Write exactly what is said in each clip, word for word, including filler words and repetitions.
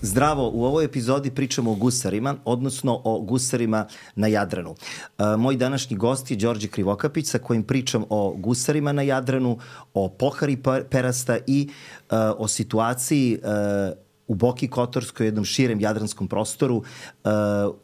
Zdravo, u ovoj epizodi pričamo o gusarima, odnosno o gusarima na Jadranu. Uh, moj današnji gost je Đorđe Krivokapić, sa kojim pričam o gusarima na Jadranu, o pohari perasta i uh, o situaciji uh, u Boki Kotorskoj, jednom širem jadranskom prostoru, uh,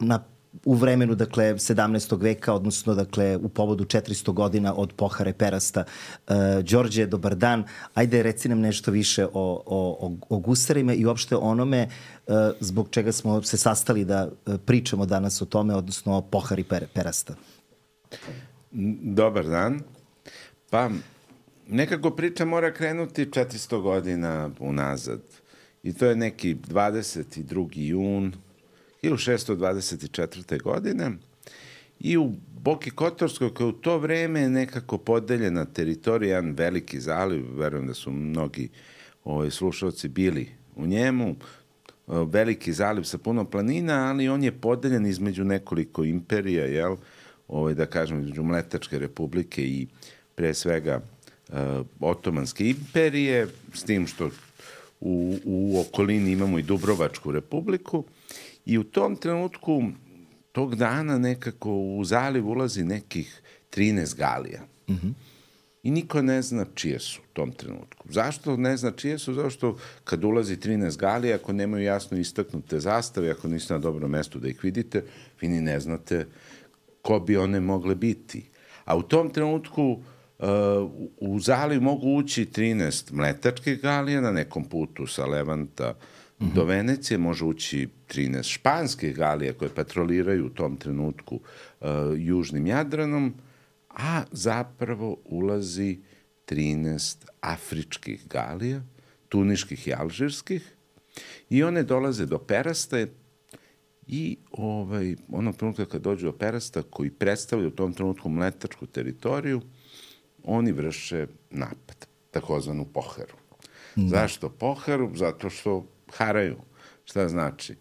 na u vremenu, dakle, sedamnaestog veka, odnosno, dakle, u povodu četiristo godina od pohare perasta. Uh, Đorđe, dobar dan. Ajde, reci nam nešto više o, o, o gusarima i uopšte onome uh, zbog čega smo se sastali da uh, pričamo danas o tome, odnosno o pohari per, perasta. Dobar dan. Pa, nekako priča mora krenuti četiristo godina unazad. I to je neki dvadeset drugi jun hiljadu šeststo dvadeset četvrte. godine i u Boki Kotorskoj, koja u to vreme je nekako podeljena teritorija, jedan veliki zaliv, verujem da su mnogi ovaj, slušalci bili u njemu, veliki zaliv sa puno planina, ali on je podeljen između nekoliko imperija, jel? Ovaj, da kažem, između Mletačke republike i pre svega uh, Otomanske imperije, s tim što u, u okolini imamo i Dubrovačku republiku. I u tom trenutku, tog dana nekako u zaliv ulazi nekih trinaest galija. Mm-hmm. I niko ne zna čije su u tom trenutku. Zašto ne zna čije su? Zato što kad ulazi trinaest galija, ako nemaju jasno istaknute zastave, ako niste na dobrom mestu da ih vidite, vi ni ne znate ko bi one mogle biti. A u tom trenutku uh, u zaliv mogu ući trinaest mletačkih galija na nekom putu sa Levanta mm-hmm. do Venecije, može ući trinaest španskih galija koje patroliraju u tom trenutku uh, južnim Jadranom, a zapravo ulazi trinaest afričkih galija, tuniških i alžirskih, i one dolaze do perasta i ovaj, onog trenutka kad dođu do perasta, koji predstavlja u tom trenutku mletačku teritoriju, oni vrše napad, takozvanu poharu. Mm. Zašto poharu? Zato što haraju. Šta znači?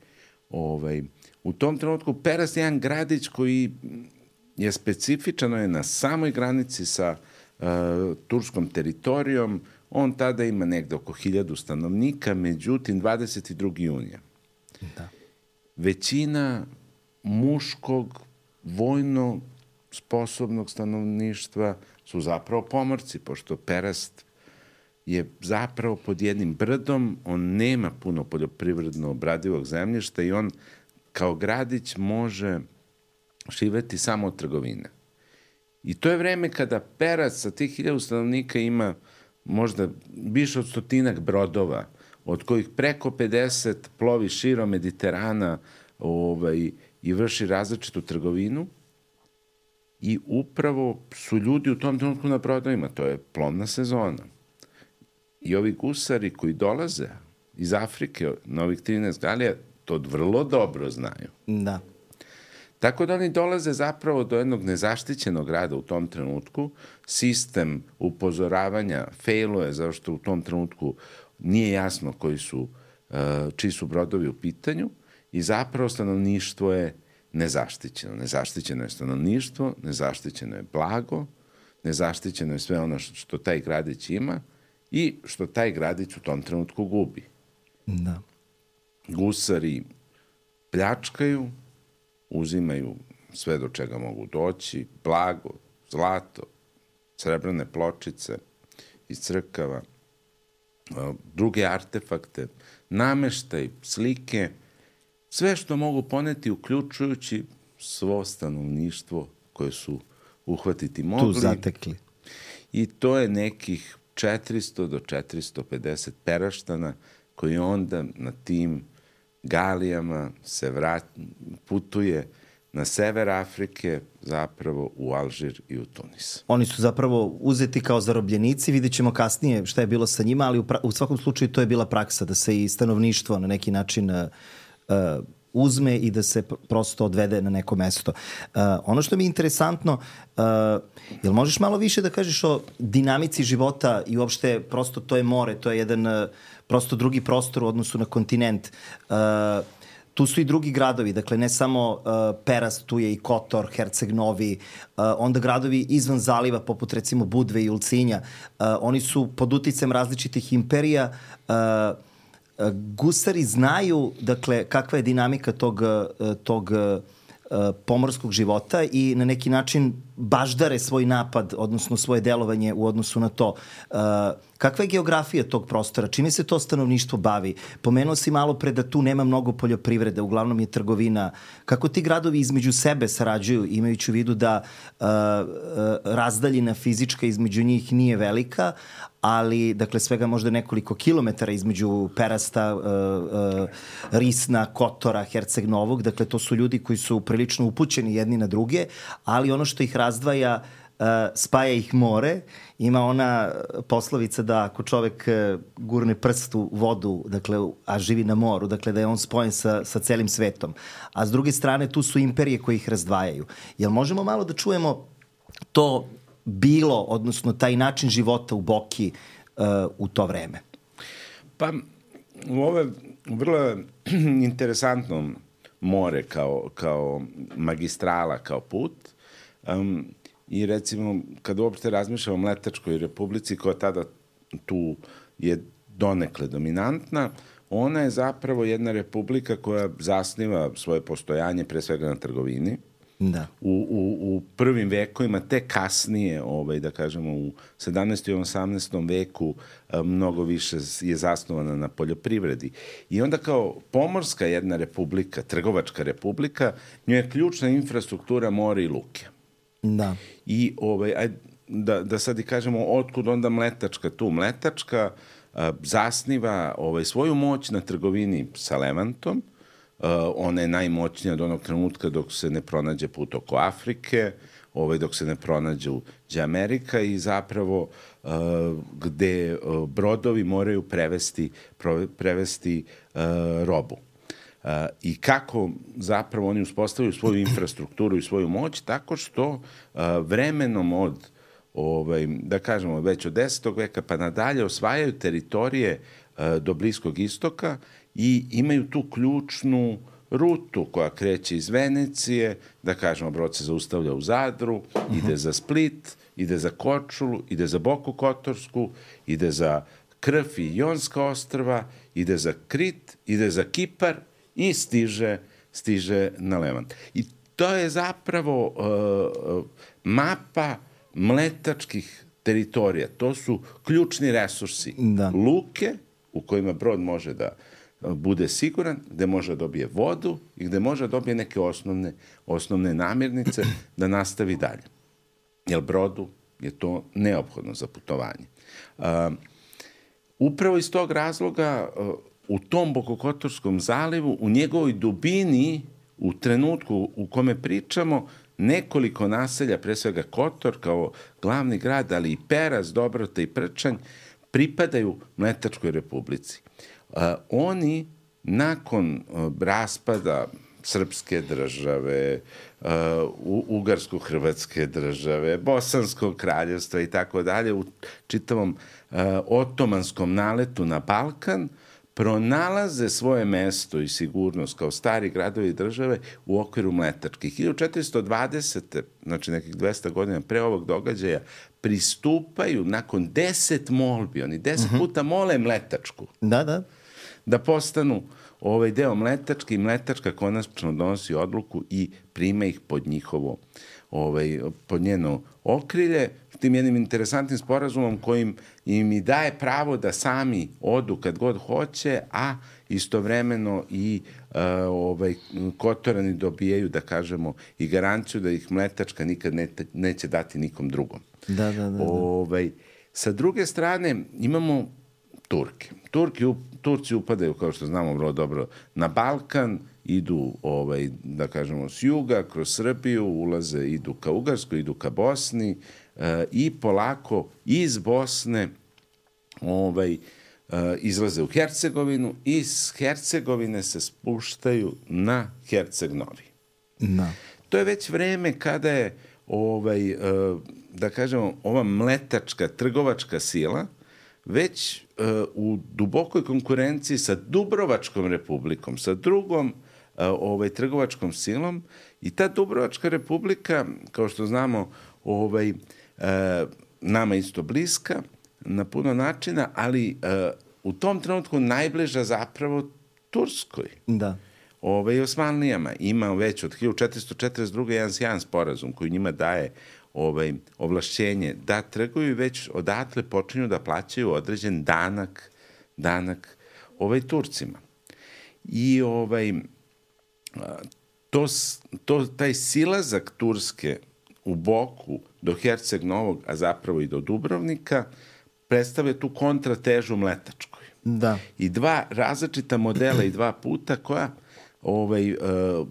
Ovaj, u tom trenutku Perast je jedan gradić koji je specifičan, je na samoj granici sa uh, turskom teritorijom. On tada ima negde oko hiljadu stanovnika, međutim dvadeset drugi junija. Da. Većina muškog, vojno sposobnog stanovništva su zapravo pomorci, pošto Perast je zapravo pod jednim brdom, on nema puno poljoprivredno obradivog zemljišta i on kao gradić može živeti samo od trgovine. I to je vreme kada Perast sa tih hiljadu stanovnika ima možda više od stotinak brodova, od kojih preko pedeset plovi širom Mediterana ovaj, i vrši različitu trgovinu. I upravo su ljudi u tom trenutku na brodovima, to je plovna sezona. I ovi gusari koji dolaze iz Afrike, na ovih trinaest galija, to vrlo dobro znaju. Da. Tako da oni dolaze zapravo do jednog nezaštićenog grada u tom trenutku. Sistem upozoravanja failuje, zato što u tom trenutku nije jasno koji su, čiji su brodovi u pitanju, i zapravo stanovništvo je nezaštićeno. Nezaštićeno je stanovništvo, nezaštićeno je blago, nezaštićeno je sve ono što taj gradić ima i što taj gradić u tom trenutku gubi. Da. Gusari pljačkaju, uzimaju sve do čega mogu doći, blago, zlato, srebrne pločice iz crkava, druge artefakte, nameštaj, slike, sve što mogu poneti, uključujući svo stanovništvo koje su uhvatiti mogli. Tu zatekli. I to je nekih četiristo do četiristo pedeset peraštana koji onda na tim galijama se vrat, putuje na sever Afrike, zapravo u Alžir i u Tunis. Oni su zapravo uzeti kao zarobljenici, vidjet ćemo kasnije šta je bilo sa njima, ali u, pra, u svakom slučaju to je bila praksa da se i stanovništvo na neki način uh, uh, uzme i da se prosto odvede na neko mesto. Uh, ono što mi je interesantno, uh, jel možeš malo više da kažeš o dinamici života i uopšte prosto to je more, to je jedan uh, prosto drugi prostor u odnosu na kontinent. Uh, tu su i drugi gradovi, dakle ne samo uh, Perast, tu je i Kotor, Herceg Novi, uh, onda gradovi izvan zaliva poput recimo Budve i Ulcinja. Uh, oni su pod uticajem različitih imperija uh, gusari znaju, dakle, kakva je dinamika tog, tog pomorskog života i na neki način baždare svoj napad, odnosno svoje delovanje u odnosu na to. Kakva je geografija tog prostora? Čime se to stanovništvo bavi? Pomenuo si malo pre da tu nema mnogo poljoprivrede, uglavnom je trgovina. Kako ti gradovi između sebe sarađuju, imajući u vidu da uh, razdaljina fizička između njih nije velika, ali, dakle, svega možda nekoliko kilometara između Perasta, uh, uh, Risna, Kotora, Herceg Novog, dakle, to su ljudi koji su prilično upućeni jedni na druge, ali ono što ih razdvaja, uh, spaja ih more. Ima ona poslovica da ako čovek uh, gurne prst u vodu, dakle, a živi na moru, dakle, da je on spojen sa, sa celim svetom. A s druge strane, tu su imperije koje ih razdvajaju. Jel možemo malo da čujemo to bilo, odnosno taj način života u Boki uh, u to vreme? Pa, ovo je vrlo interesantno more kao, kao magistrala, kao put. Um, I recimo, kad uopšte razmišljamo o Mletačkoj republici, koja tada tu je donekle dominantna, ona je zapravo jedna republika koja zasniva svoje postojanje pre svega na trgovini. Da. U, u, u prvim vekovima, te kasnije, ovaj, da kažemo, u sedamnaestom i osamnaestom veku mnogo više je zasnovana na poljoprivredi. I onda kao pomorska jedna republika, trgovačka republika, njoj je ključna infrastruktura more i luke. Da. I ovaj, aj, da, da sad i kažemo, otkud onda Mletačka tu? Mletačka a, zasniva ovaj, svoju moć na trgovini sa Levantom. Uh, ona je najmoćnija od onog trenutka dok se ne pronađe put oko Afrike, ovaj, dok se ne pronađe uđe Amerika i zapravo uh, gde uh, brodovi moraju prevesti, pro, prevesti uh, robu. Uh, I kako zapravo oni uspostavljaju svoju infrastrukturu i svoju moć, tako što uh, vremenom od, ovaj, da kažemo, već od desetog veka pa nadalje osvajaju teritorije uh, do Bliskog istoka i imaju tu ključnu rutu koja kreće iz Venecije, da kažemo, brod se zaustavlja u Zadru, uh-huh. ide za Split, ide za Korčulu, ide za Boku Kotorsku, ide za Krf i Jonska ostrva, ide za Krit, ide za Kipar i stiže, stiže na Levant. I to je zapravo uh, mapa mletačkih teritorija. To su ključni resursi. Da. Luke u kojima brod može da bude siguran, gde može da dobije vodu i gde može da dobije neke osnovne, osnovne namirnice da nastavi dalje. Jer brodu je to neophodno za putovanje. Uh, upravo iz tog razloga uh, u tom Bokokotorskom zalivu, u njegovoj dubini, u trenutku u kome pričamo, nekoliko naselja, pre svega Kotor kao glavni grad, ali i Peras, Dobrota i Prčanj, pripadaju Mletačkoj republici. Uh, oni nakon uh, raspada srpske države, uh, ugarsko-hrvatske države, bosanskog kraljevstva i tako dalje, u čitavom uh, otomanskom naletu na Balkan, pronalaze svoje mesto i sigurnost kao stari gradovi države u okviru Mletačkih. hiljadu četiristo dvadesete. znači nekih dvesta godina pre ovog događaja, pristupaju nakon deset molbi, oni deset uh-huh. puta mole Mletačku. Da, da. Da postanu ovaj deo Mletačke i Mletačka konačno donosi odluku i prima ih pod njihovo, ovaj, pod njeno okrilje, tim jednim interesantnim sporazumom kojim im i daje pravo da sami odu kad god hoće, a istovremeno i uh, ovaj, Kotorani dobijaju, da kažemo, i garanciju da ih Mletačka nikad ne, neće dati nikom drugom. Da, da, da, da. Ovaj, sa druge strane imamo Turke. Turki, Turci upadaju, kao što znamo vrlo dobro, na Balkan, idu, ovaj, da kažemo, s juga, kroz Srbiju, ulaze, idu ka Ugarskoj, idu ka Bosni e, i polako iz Bosne ovaj, e, izlaze u Hercegovinu i iz Hercegovine se spuštaju na Herceg Novi. Da. To je već vreme kada je, ovaj, e, da kažemo, ova mletačka trgovačka sila već uh, u dubokoj konkurenciji sa Dubrovačkom republikom, sa drugom uh, ovaj, trgovačkom silom, i ta Dubrovačka republika, kao što znamo, ovaj, uh, nama isto bliska na puno načina, ali uh, u tom trenutku najbliža zapravo Turskoj. Da. Ove, i Osmanlijama. Ima već od hiljadu četiristo četrdeset druge jedan sjajan sporazum koji njima daje ovaj, ovlašćenje da trguju i već odatle počinju da plaćaju određen danak, danak ovaj, Turcima. I ovaj, to, to, taj silazak Turske u Boku do Herceg Novog, a zapravo i do Dubrovnika, predstavlja tu kontratežu Mletačkoj. Da. I dva različita modela i dva puta koja ovaj,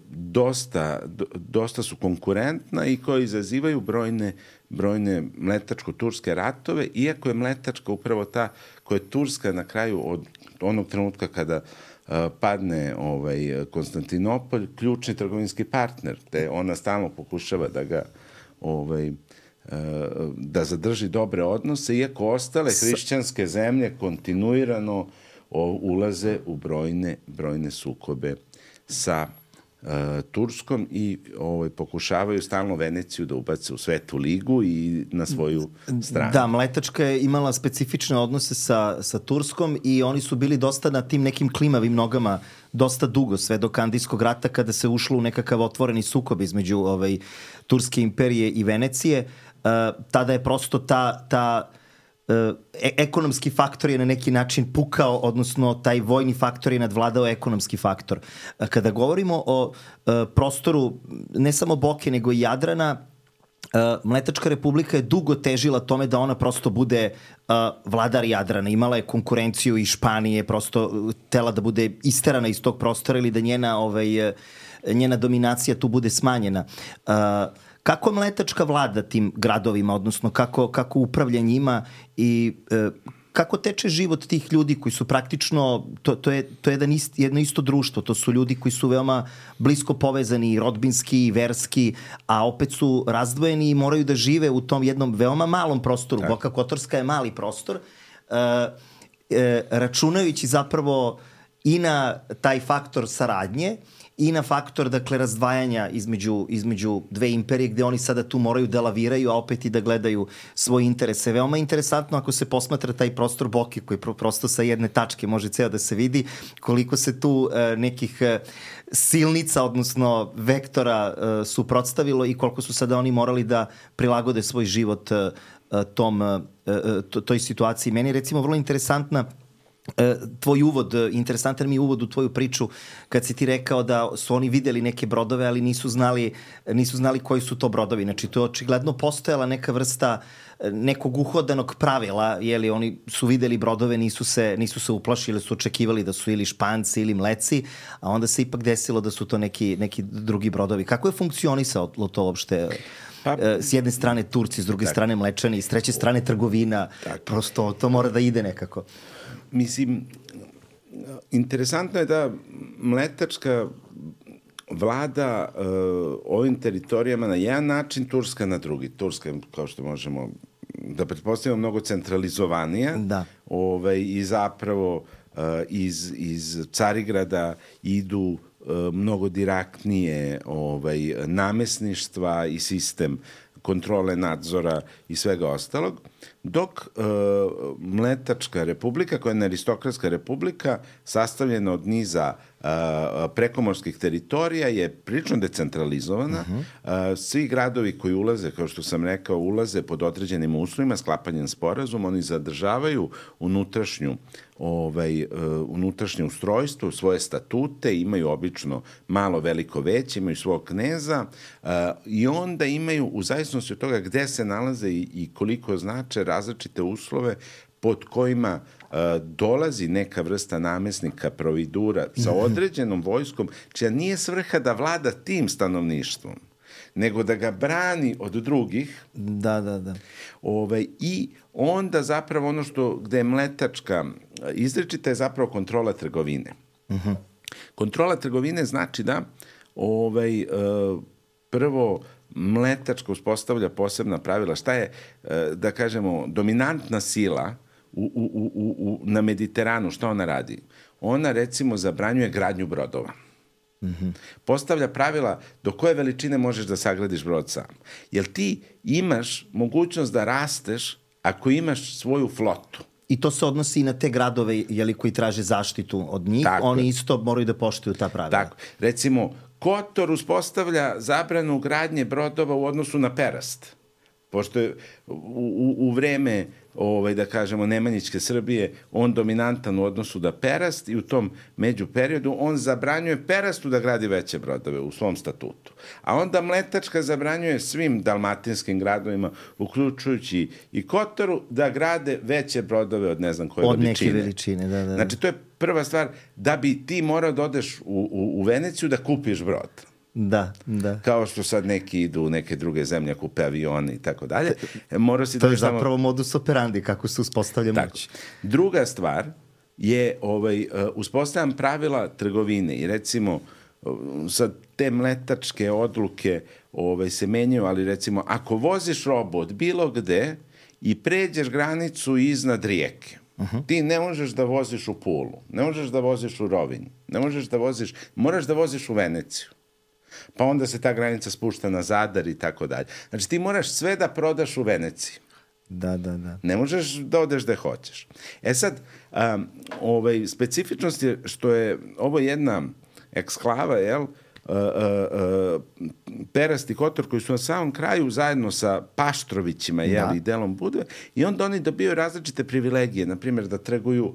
dosta, dosta su konkurentna i koji izazivaju brojne, brojne mletačko-turske ratove, iako je Mletačka upravo ta koja je Turska na kraju od onog trenutka kada padne ovaj, Konstantinopolj, ključni trgovinski partner, te ona stalno pokušava da ga ovaj, da zadrži dobre odnose, iako ostale hrišćanske zemlje kontinuirano ulaze u brojne, brojne sukobe sa uh, Turskom i ovaj, pokušavaju stalno Veneciju da ubace u Svetu ligu i na svoju stranu. Da, Mletačka je imala specifične odnose sa, sa Turskom i oni su bili dosta na tim nekim klimavim nogama dosta dugo, sve do Kandijskog rata kada se ušlo u nekakav otvoreni sukob između ovaj, Turske imperije i Venecije. Uh, tada je prosto ta, ta uh, e ekonomski faktor je na neki način pukao, odnosno taj vojni faktor je nadvladao ekonomski faktor. Uh, kada govorimo o uh, prostoru ne samo Boke nego i Jadrana, Uh, Mletačka republika je dugo težila tome da ona prosto bude uh, vladar Jadrana. Imala je konkurenciju i Španije, prosto tela da bude isterana iz tog prostora ili da njena, ovaj, njena dominacija tu bude smanjena. Uh, kako Mletačka vlada tim gradovima, odnosno kako, kako upravlja njima i uh, kako teče život tih ljudi koji su praktično, to, to je, to je jedan ist, jedno isto društvo, to su ljudi koji su veoma blisko povezani i rodbinski i verski, a opet su razdvojeni i moraju da žive u tom jednom veoma malom prostoru. Tak. Boka Kotorska je mali prostor, uh, uh, računajući zapravo i na taj faktor saradnje i na faktor, dakle, razdvajanja između, između dve imperije gde oni sada tu moraju da laviraju, a opet i da gledaju svoje interese. Veoma interesantno ako se posmatra taj prostor Boke koji pro, prosto sa jedne tačke može ceo da se vidi koliko se tu e, nekih e, silnica, odnosno vektora e, suprotstavilo i koliko su sada oni morali da prilagode svoj život e, tom, e, to, toj situaciji. Meni je recimo vrlo interesantna tvoj uvod, interesantan mi je uvod u tvoju priču kad si ti rekao da su oni videli neke brodove, ali nisu znali, nisu znali koji su to brodovi. Znači, to je očigledno postojala neka vrsta nekog uhodanog pravila, jeli, oni su videli brodove, nisu se, nisu se uplašili, su očekivali da su ili Španci ili Mleci, a onda se ipak desilo da su to neki, neki drugi brodovi. Kako je funkcionisalo to uopšte? Pa, s jedne strane Turci, s druge tak. strane Mlečani, s treće strane trgovina. Tak. Prosto to mora da ide nekako. Mislim, interesantno je da Mletačka vlada uh, ovim teritorijama na jedan način, Turska na drugi. Turska, kao što možemo da pretpostavimo, mnogo centralizovanija. Da. Ovaj, i zapravo uh, iz, iz Carigrada idu uh, mnogo direktnije ovaj, namesništva i sistem kontrole, nadzora i svega ostalog, dok e, Mletačka republika, koja je aristokratska republika, sastavljena od niza e, prekomorskih teritorija, je prilično decentralizovana. Uh-huh. e, svi gradovi koji ulaze, kao što sam rekao, ulaze pod određenim uslovima, sklapanjem sporazuma, oni zadržavaju unutrašnju ovaj, uh, unutrašnje ustrojstvo, svoje statute, imaju obično malo, veliko, veće, imaju svog kneza uh, i onda imaju, u zavisnosti od toga gde se nalaze i, i koliko znače, različite uslove pod kojima uh, dolazi neka vrsta namesnika, providura sa određenom vojskom, čija nije svrha da vlada tim stanovništvom, nego da ga brani od drugih. Da, da, da. Ovaj, I onda zapravo ono što gde je Mletačka izričita je zapravo kontrola trgovine. Uh-huh. Kontrola trgovine znači da ovaj, prvo Mletačka uspostavlja posebna pravila. Šta je, da kažemo, dominantna sila u, u, u, u, na Mediteranu, šta ona radi? Ona, recimo, zabranjuje gradnju brodova. Mm-hmm. Postavlja pravila do koje veličine možeš da sagradiš brod sam. Jer ti imaš mogućnost da rasteš ako imaš svoju flotu. I to se odnosi i na te gradove jeli, koji traže zaštitu od njih. Tako Oni je. isto moraju da poštuju ta pravila. Tako. Recimo, Kotor uspostavlja zabranu gradnje brodova u odnosu na Perast. Pošto je u, u, u vreme, ovaj, da kažemo, Nemanjićke Srbije on dominantan u odnosu da Perast i u tom međuperiodu on zabranjuje Perastu da gradi veće brodove u svom statutu. A onda Mletačka zabranjuje svim dalmatinskim gradovima, uključujući i Kotoru, da grade veće brodove od ne znam koje od veličine. Od neke veličine, da, da. Znači, to je prva stvar, da bi ti morao da odeš u, u, u Veneciju da kupiš brod. Da, da. Kao što sad neki idu u neke druge zemlje, kupe avione i tako dalje. Mora si to da je samo... zapravo modus operandi, kako se uspostavlja moć. Druga stvar je ovaj, uspostavljam pravila trgovine i recimo sad te mletačke odluke ovaj, se menjaju, ali recimo ako voziš robu od bilo gde i pređeš granicu iznad rijeke, uh-huh. ti ne možeš da voziš u Pulu, ne možeš da voziš u Rovinj, ne možeš da voziš, moraš da voziš u Veneciju. Pa onda se ta granica spušta na Zadar i tako dalje. Znači ti moraš sve da prodaš u Veneciji. Da, da, da. Ne možeš da odeš gde hoćeš. E sad, um, ovaj, specifičnost je što je ovo jedna eksklava, jel, uh, uh, uh, Perast i Kotor koji su na samom kraju zajedno sa Paštrovićima, jel, da. i delom Budve, i onda oni dobijaju različite privilegije, na primjer da trguju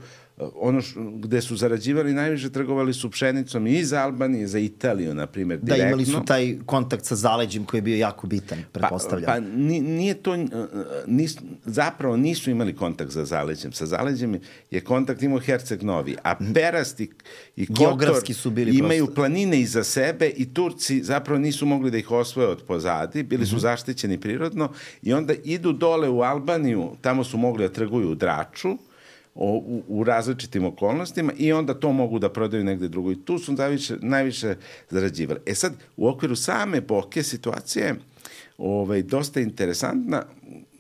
ono š, gde su zarađivali najviše, trgovali su pšenicom i za Albaniju i za Italiju, na primjer, direktno. Da, imali su taj kontakt sa zaleđem koji je bio jako bitan, pretpostavljam. Pa, pa nije to, nis, zapravo nisu imali kontakt sa zaleđem. Sa zaleđem je kontakt imao Herceg Novi, a Perast i, i Kotor su bili imaju prosto. planine iza sebe i Turci zapravo nisu mogli da ih osvoje od pozadi, bili su mm-hmm. zaštićeni prirodno i onda idu dole u Albaniju, tamo su mogli da trguju u Draču, O, u, u različitim okolnostima i onda to mogu da prodaju negde drugo i tu su najviše, najviše zarađivali. E sad, u okviru same epoke situacija je ovaj, dosta interesantna.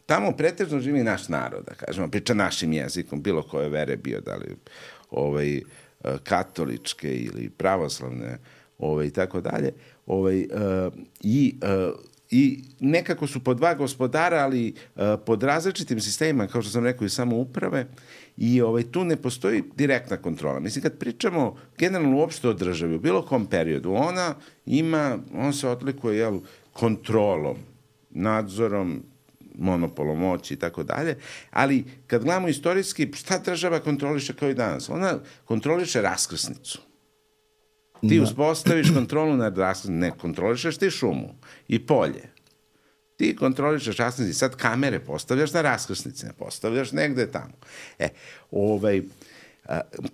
Tamo pretežno živi naš narod, da kažemo, priča našim jezikom, bilo koje vere bio, da li ovaj, katoličke ili pravoslavne ovaj, i tako dalje. Ovaj, i I nekako su po dva gospodara, ali uh, pod različitim sistemima, kao što sam rekao, i samouprave, i ovaj, tu ne postoji direktna kontrola. Mislim, kad pričamo generalno uopšte o državi, u bilo kom periodu, ona ima, on se odlikuje, jel, kontrolom, nadzorom, monopolom moći i tako dalje, ali kad gledamo istorijski, šta država kontroliše kao i danas? Ona kontroliše raskrsnicu. Ti uspostaviš kontrolu nad raskrsnicom, ne kontrolišeš ti šumu i polje. Ti kontrolišeš raskrsnici, sad kamere postavljaš na raskrsnici, ne postavljaš negde tamo. E, ovaj,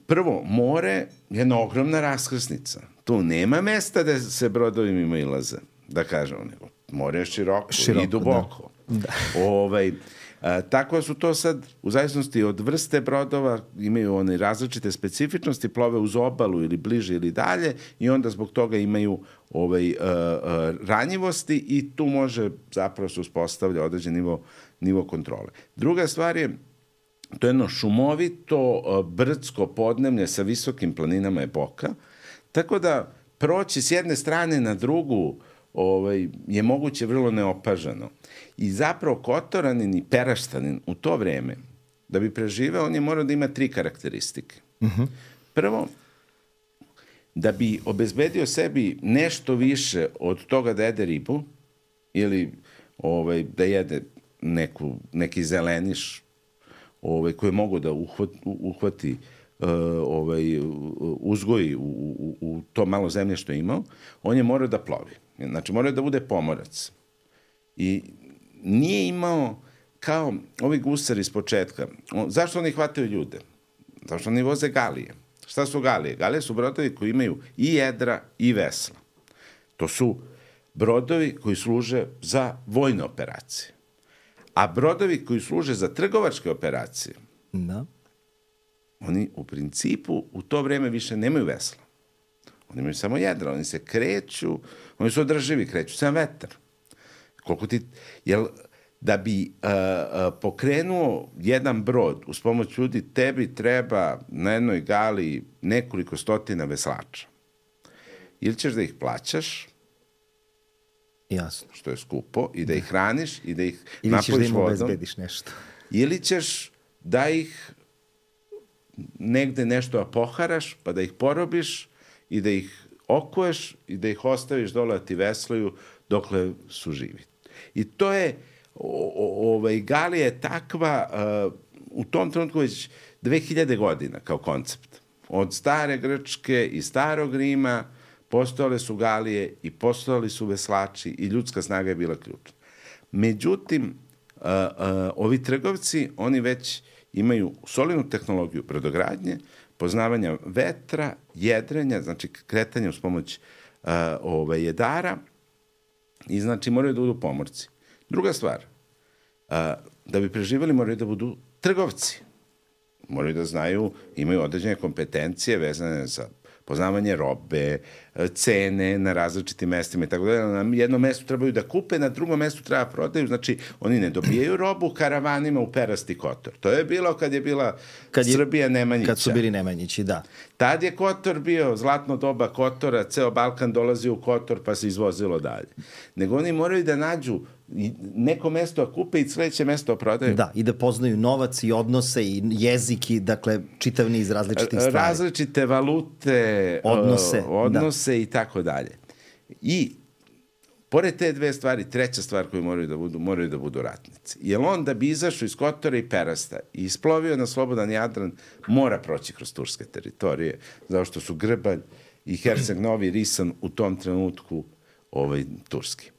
prvo, more je jedna ogromna raskrsnica. Tu nema mesta da se brodovi mimo ilaze, da kažemo, nego more je široko, široko i duboko. Da. Da. Ovaj, A, tako su to sad, u zavisnosti od vrste brodova, imaju one različite specifičnosti, plove uz obalu ili bliže ili dalje i onda zbog toga imaju ovaj, a, a, ranjivosti i tu može zapravo se uspostavlja određen nivo, nivo kontrole. Druga stvar je, to je jedno šumovito, a, brdsko podneblje sa visokim planinama epoka, tako da proći s jedne strane na drugu ovaj, je moguće vrlo neopažano. I zapravo Kotoranin i Peraštanin u to vreme, da bi preživeo, on je morao da ima tri karakteristike. Uh-huh. Prvo, da bi obezbedio sebi nešto više od toga da jede ribu ili ovaj, da jede neku, neki zeleniš ovaj, koji mogu da uhvati, uhvati uh, ovaj, uzgoji u, u, u to malo zemlje što je imao, on je morao da plovi. Znači, morao da bude pomorac. I nije imao, kao ovi gusari iz početka, on, zašto oni hvataju ljude? Zašto oni voze galije? Šta su galije? Galije su brodovi koji imaju i jedra i vesla. To su brodovi koji služe za vojne operacije. A brodovi koji služe za trgovačke operacije, da. Oni u principu u to vreme više nemaju vesla. Oni imaju samo jedra, oni se kreću, oni su održivi, kreću se na vetar. Koliko ti, jel, da bi uh, uh, pokrenuo jedan brod uz pomoć ljudi, tebi treba na jednoj gali nekoliko stotina veslača. Ili ćeš da ih plaćaš, jasno, što je skupo, i da ih hraniš, i da ih ili napojiš vodom. Ili ćeš da im obezbediš nešto. Ili ćeš da ih negde nešto poharaš, pa da ih porobiš i da ih okuješ i da ih ostaviš dole da ti veslaju dokle su živi. I to je, o, o, ovaj, Galija je takva uh, u tom trenutku već dve hiljade godina kao koncept. Od stare Grčke i starog Rima postojale su Galije i postojali su veslači i ljudska snaga je bila ključna. Međutim, uh, uh, ovi trgovci, oni već imaju solidnu tehnologiju brodogradnje, poznavanja vetra, jedrenja, znači kretanja uz pomoć uh, ove, jedara i znači moraju da budu pomorci. Druga stvar, uh, da bi preživjeli moraju da budu trgovci. Moraju da znaju, imaju određene kompetencije vezane za poznavanje robe, cene na različitim mestima i tako dalje. Na jednom mestu trebaju da kupe, na drugom mestu treba prodaju. Znači, oni ne dobijaju robu karavanima u perasti Kotor. To je bilo kad je bila kad je, Srbija Nemanjića. Kad su bili Nemanjići, da. Tad je Kotor bio zlatno doba Kotora, ceo Balkan dolazio u Kotor pa se izvozilo dalje. Nego oni moraju da nađu neko mesto kupe i sledeće mesto prodaju. Da, i da poznaju novac i odnose i jezik i, dakle, čitav niz različitih stvari. Različite valute, odnose, odnose da. I tako dalje. I, pored te dve stvari, treća stvar koju moraju da budu, moraju da budu ratnici. Jer on da bi izašao iz Kotora i Perasta i isplovio na slobodan Jadran, mora proći kroz turske teritorije, zato što su Grbalj i Herceg Novi Risan u tom trenutku ovaj, turski.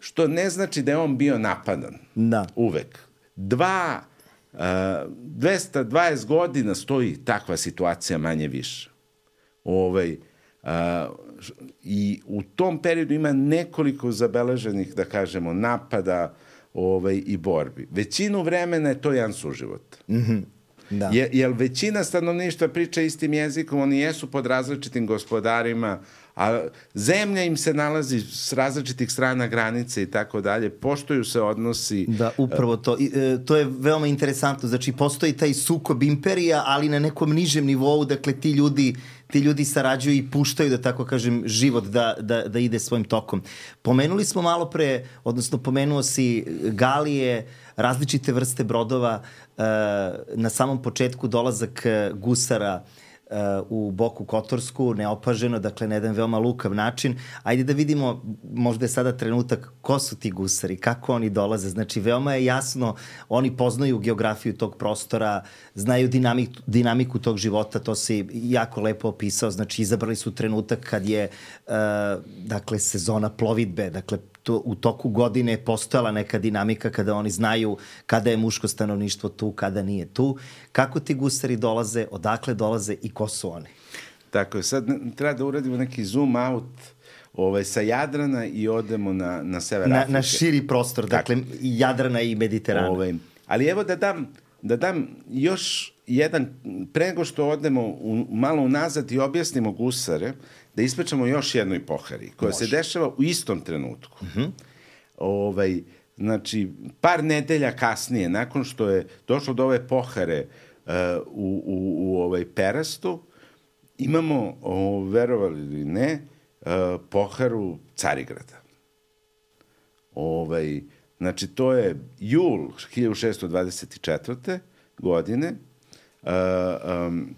Što ne znači da je on bio napadan. Da. Uvek. Dva, uh, dvesta dvadeset godina stoji takva situacija manje više. Ovaj, uh, I u tom periodu ima nekoliko zabeleženih, da kažemo, napada ovaj, i borbi. Većinu vremena je to jedan suživot. Mm-hmm. Da. Je, jer većina stanovništva priča istim jezikom, oni jesu pod različitim gospodarima, a zemlja im se nalazi s različitih strana granice i tako dalje, poštuju se odnosi. Da, upravo to. I, e, to je veoma interesantno. Znači, postoji taj sukob imperija, ali na nekom nižem nivou, dakle, ti ljudi, ti ljudi sarađuju i puštaju, da tako kažem, život da, da, da ide svojim tokom. Pomenuli smo malo pre, odnosno pomenuo si galije, različite vrste brodova, e, na samom početku dolazak gusara u Boku Kotorsku, neopaženo, dakle na jedan veoma lukav način. Ajde da vidimo, možda je sada trenutak, ko su ti gusari, kako oni dolaze. Znači, veoma je jasno, oni poznaju geografiju tog prostora, znaju dinamik, dinamiku tog života, to si jako lepo opisao. Znači, izabrali su trenutak kad je, uh, dakle, sezona plovidbe, dakle, to, u toku godine je postojala neka dinamika kada oni znaju kada je muško stanovništvo tu, kada nije tu. Kako ti gusari dolaze, odakle dolaze i ko su oni? Tako je, sad treba da uradimo neki zoom out ovaj, sa Jadrana i odemo na, na sever na, Afrike. Na širi prostor, dakle i Jadrana i Mediterana. Ovaj, ali evo da dam, da dam još jedan, pre nego što odemo u, malo unazad i objasnimo gusare, da ispričamo još jednoj pohari, koja Može. se dešava u istom trenutku. Uh-huh. Ovaj, znači, par nedelja kasnije, nakon što je došlo do ove pohare uh, u, u, u ovaj Perastu, imamo, o, verovali ili ne, uh, poharu Carigrada. Ovaj, znači, to je jul hiljadu šeststo dvadeset četvrte godine. Uh, um,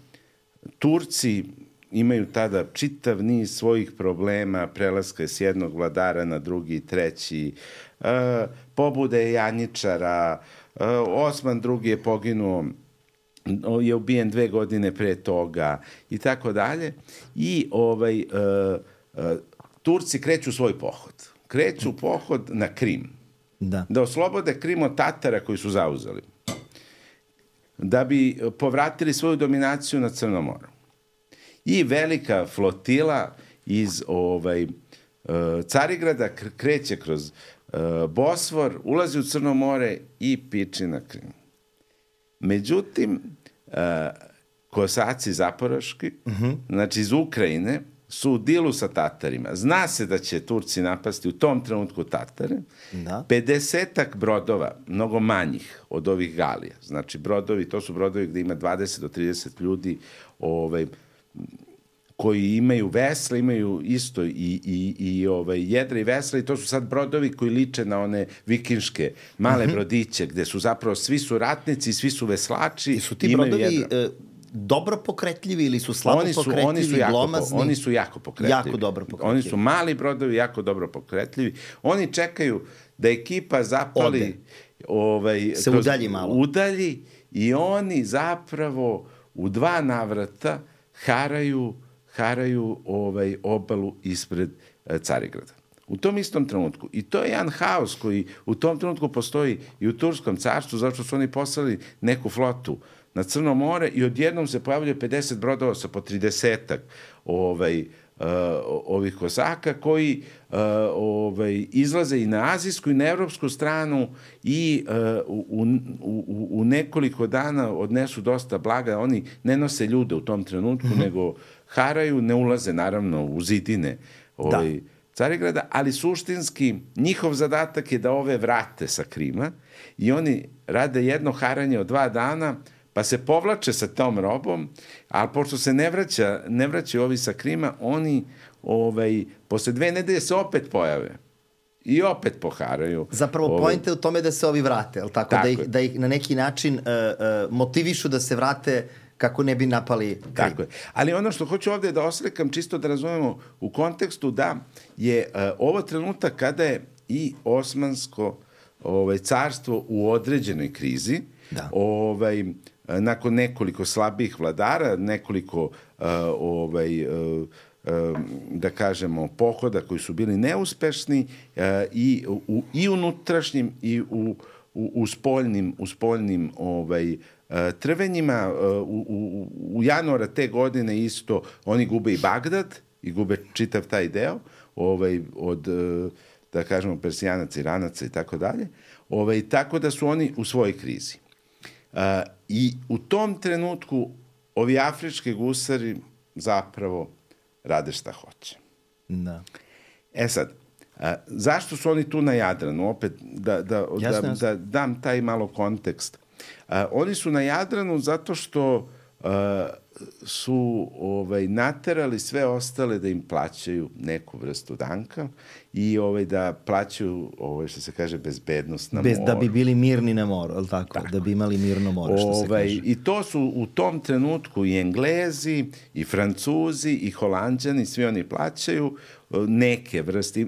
Turci imaju tada čitav niz svojih problema, prelaska s jednog vladara na drugi, treći, uh, pobude Janjičara, uh, Osman drugi je poginuo, je ubijen dve godine pre toga i tako dalje. I ovaj, uh, uh, Turci kreću svoj pohod. Kreću pohod na Krim. Da. Da oslobode Krim od Tatara koji su zauzeli. Da bi povratili svoju dominaciju na Crnom moru. I velika flotila iz ovaj, Carigrada kreće kroz Bosfor, ulazi u Crno more i piči na Krim. Međutim, kosaci zaporoški, uh-huh. znači iz Ukrajine, su u dilu sa Tatarima. Zna se da će Turci napasti u tom trenutku Tatare. Da. pedesetak brodova, mnogo manjih od ovih galija. Znači, brodovi, to su brodovi gde ima dvadeset do trideset ljudi ovaj, koji imaju vesla, imaju isto i, i, i ovaj, jedra i vesla i to su sad brodovi koji liče na one vikinške male uh-huh. brodiće gde su zapravo svi su ratnici, svi su veslači. I su ti brodovi... dobro pokretljivi ili su slabo oni su, pokretljivi, oni su jako, glomazni? Oni su jako pokretljivi. Jako dobro pokretljivi. Oni su mali brodovi, jako dobro pokretljivi. Oni čekaju da ekipa zapali... Ode. Ovaj, se udalji malo. Udalji i oni zapravo u dva navrata haraju, haraju ovaj, obalu ispred e, Carigrada. U tom istom trenutku. I to je jedan haos koji u tom trenutku postoji i u Turskom carstvu, zato što su oni poslali neku flotu na Crno more i odjednom se pojavljaju pedeset brodova sa po tridesetak ovaj, uh, ovih kosaka koji uh, ovaj, izlaze i na azijsku i na evropsku stranu i uh, u, u, u nekoliko dana odnesu dosta blaga. Oni ne nose ljude u tom trenutku, mm-hmm. nego haraju, ne ulaze naravno u zidine ovaj, da. Carigrada, ali suštinski njihov zadatak je da ove vrate sa Krima i oni rade jedno haranje od dva dana, pa se povlače sa tom robom, ali pošto se ne vraća, ne vraćaju ovi sa Krima, oni ovaj, posle dve nedelje se opet pojave i opet poharaju. Zapravo ovaj... pojenta je u tome da se ovi vrate, ali tako? tako da, ih, da ih na neki način uh, uh, motivišu da se vrate kako ne bi napali Krim. Tako je. Ali ono što hoću ovde da oslikam, čisto da razumemo u kontekstu da je uh, ovo trenutak kada je i Osmansko ovaj, carstvo u određenoj krizi, da. Ovaj, nakon nekoliko slabih vladara, nekoliko uh, ovaj, uh, uh, da kažemo pohoda koji su bili neuspešni uh, i, u, i unutrašnjim i u, u, u spoljnim, u spoljnim ovaj, uh, trvenjima. Uh, u, u, u januara te godine isto oni gube i Bagdad i gube čitav taj deo ovaj, od uh, da kažemo Persijanaca, Iranaca i tako dalje. Ovaj, tako da su oni u svojoj krizi. Uh, I u tom trenutku ovi afrički gusari zapravo rade šta hoće. Da. E sad, uh, zašto su oni tu na Jadranu? Opet da, da, jasne, da, jasne. da dam taj malo kontekst. Uh, oni su na Jadranu zato što uh, su ovaj, naterali sve ostale da im plaćaju neku vrstu danka i ovaj, da plaćaju, ovaj, što se kaže, bezbednost na Bez, moru. Da bi bili mirni na moru, ali tako? tako? Da bi imali mirno more, što ovaj, se kaže. I to su u tom trenutku i Englezi, i Francuzi, i Holanđani, svi oni plaćaju neke vrste,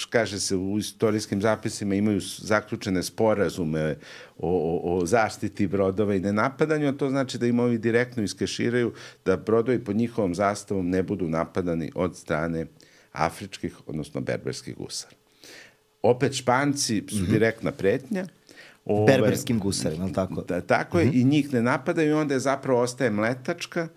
kaže se u istorijskim zapisima, imaju zaključene sporazume o, o, o zaštiti brodova i nenapadanju, a to znači da im ovi direktno iskeširaju da brodovi pod njihovom zastavom ne budu napadani od strane afričkih, odnosno berberskih gusara. Opet Španci su mm-hmm. direktna pretnja. Ove, berberskim gusarima, tako? Da, tako je, mm-hmm. i njih ne napadaju i onda je zapravo ostaje Mletačka,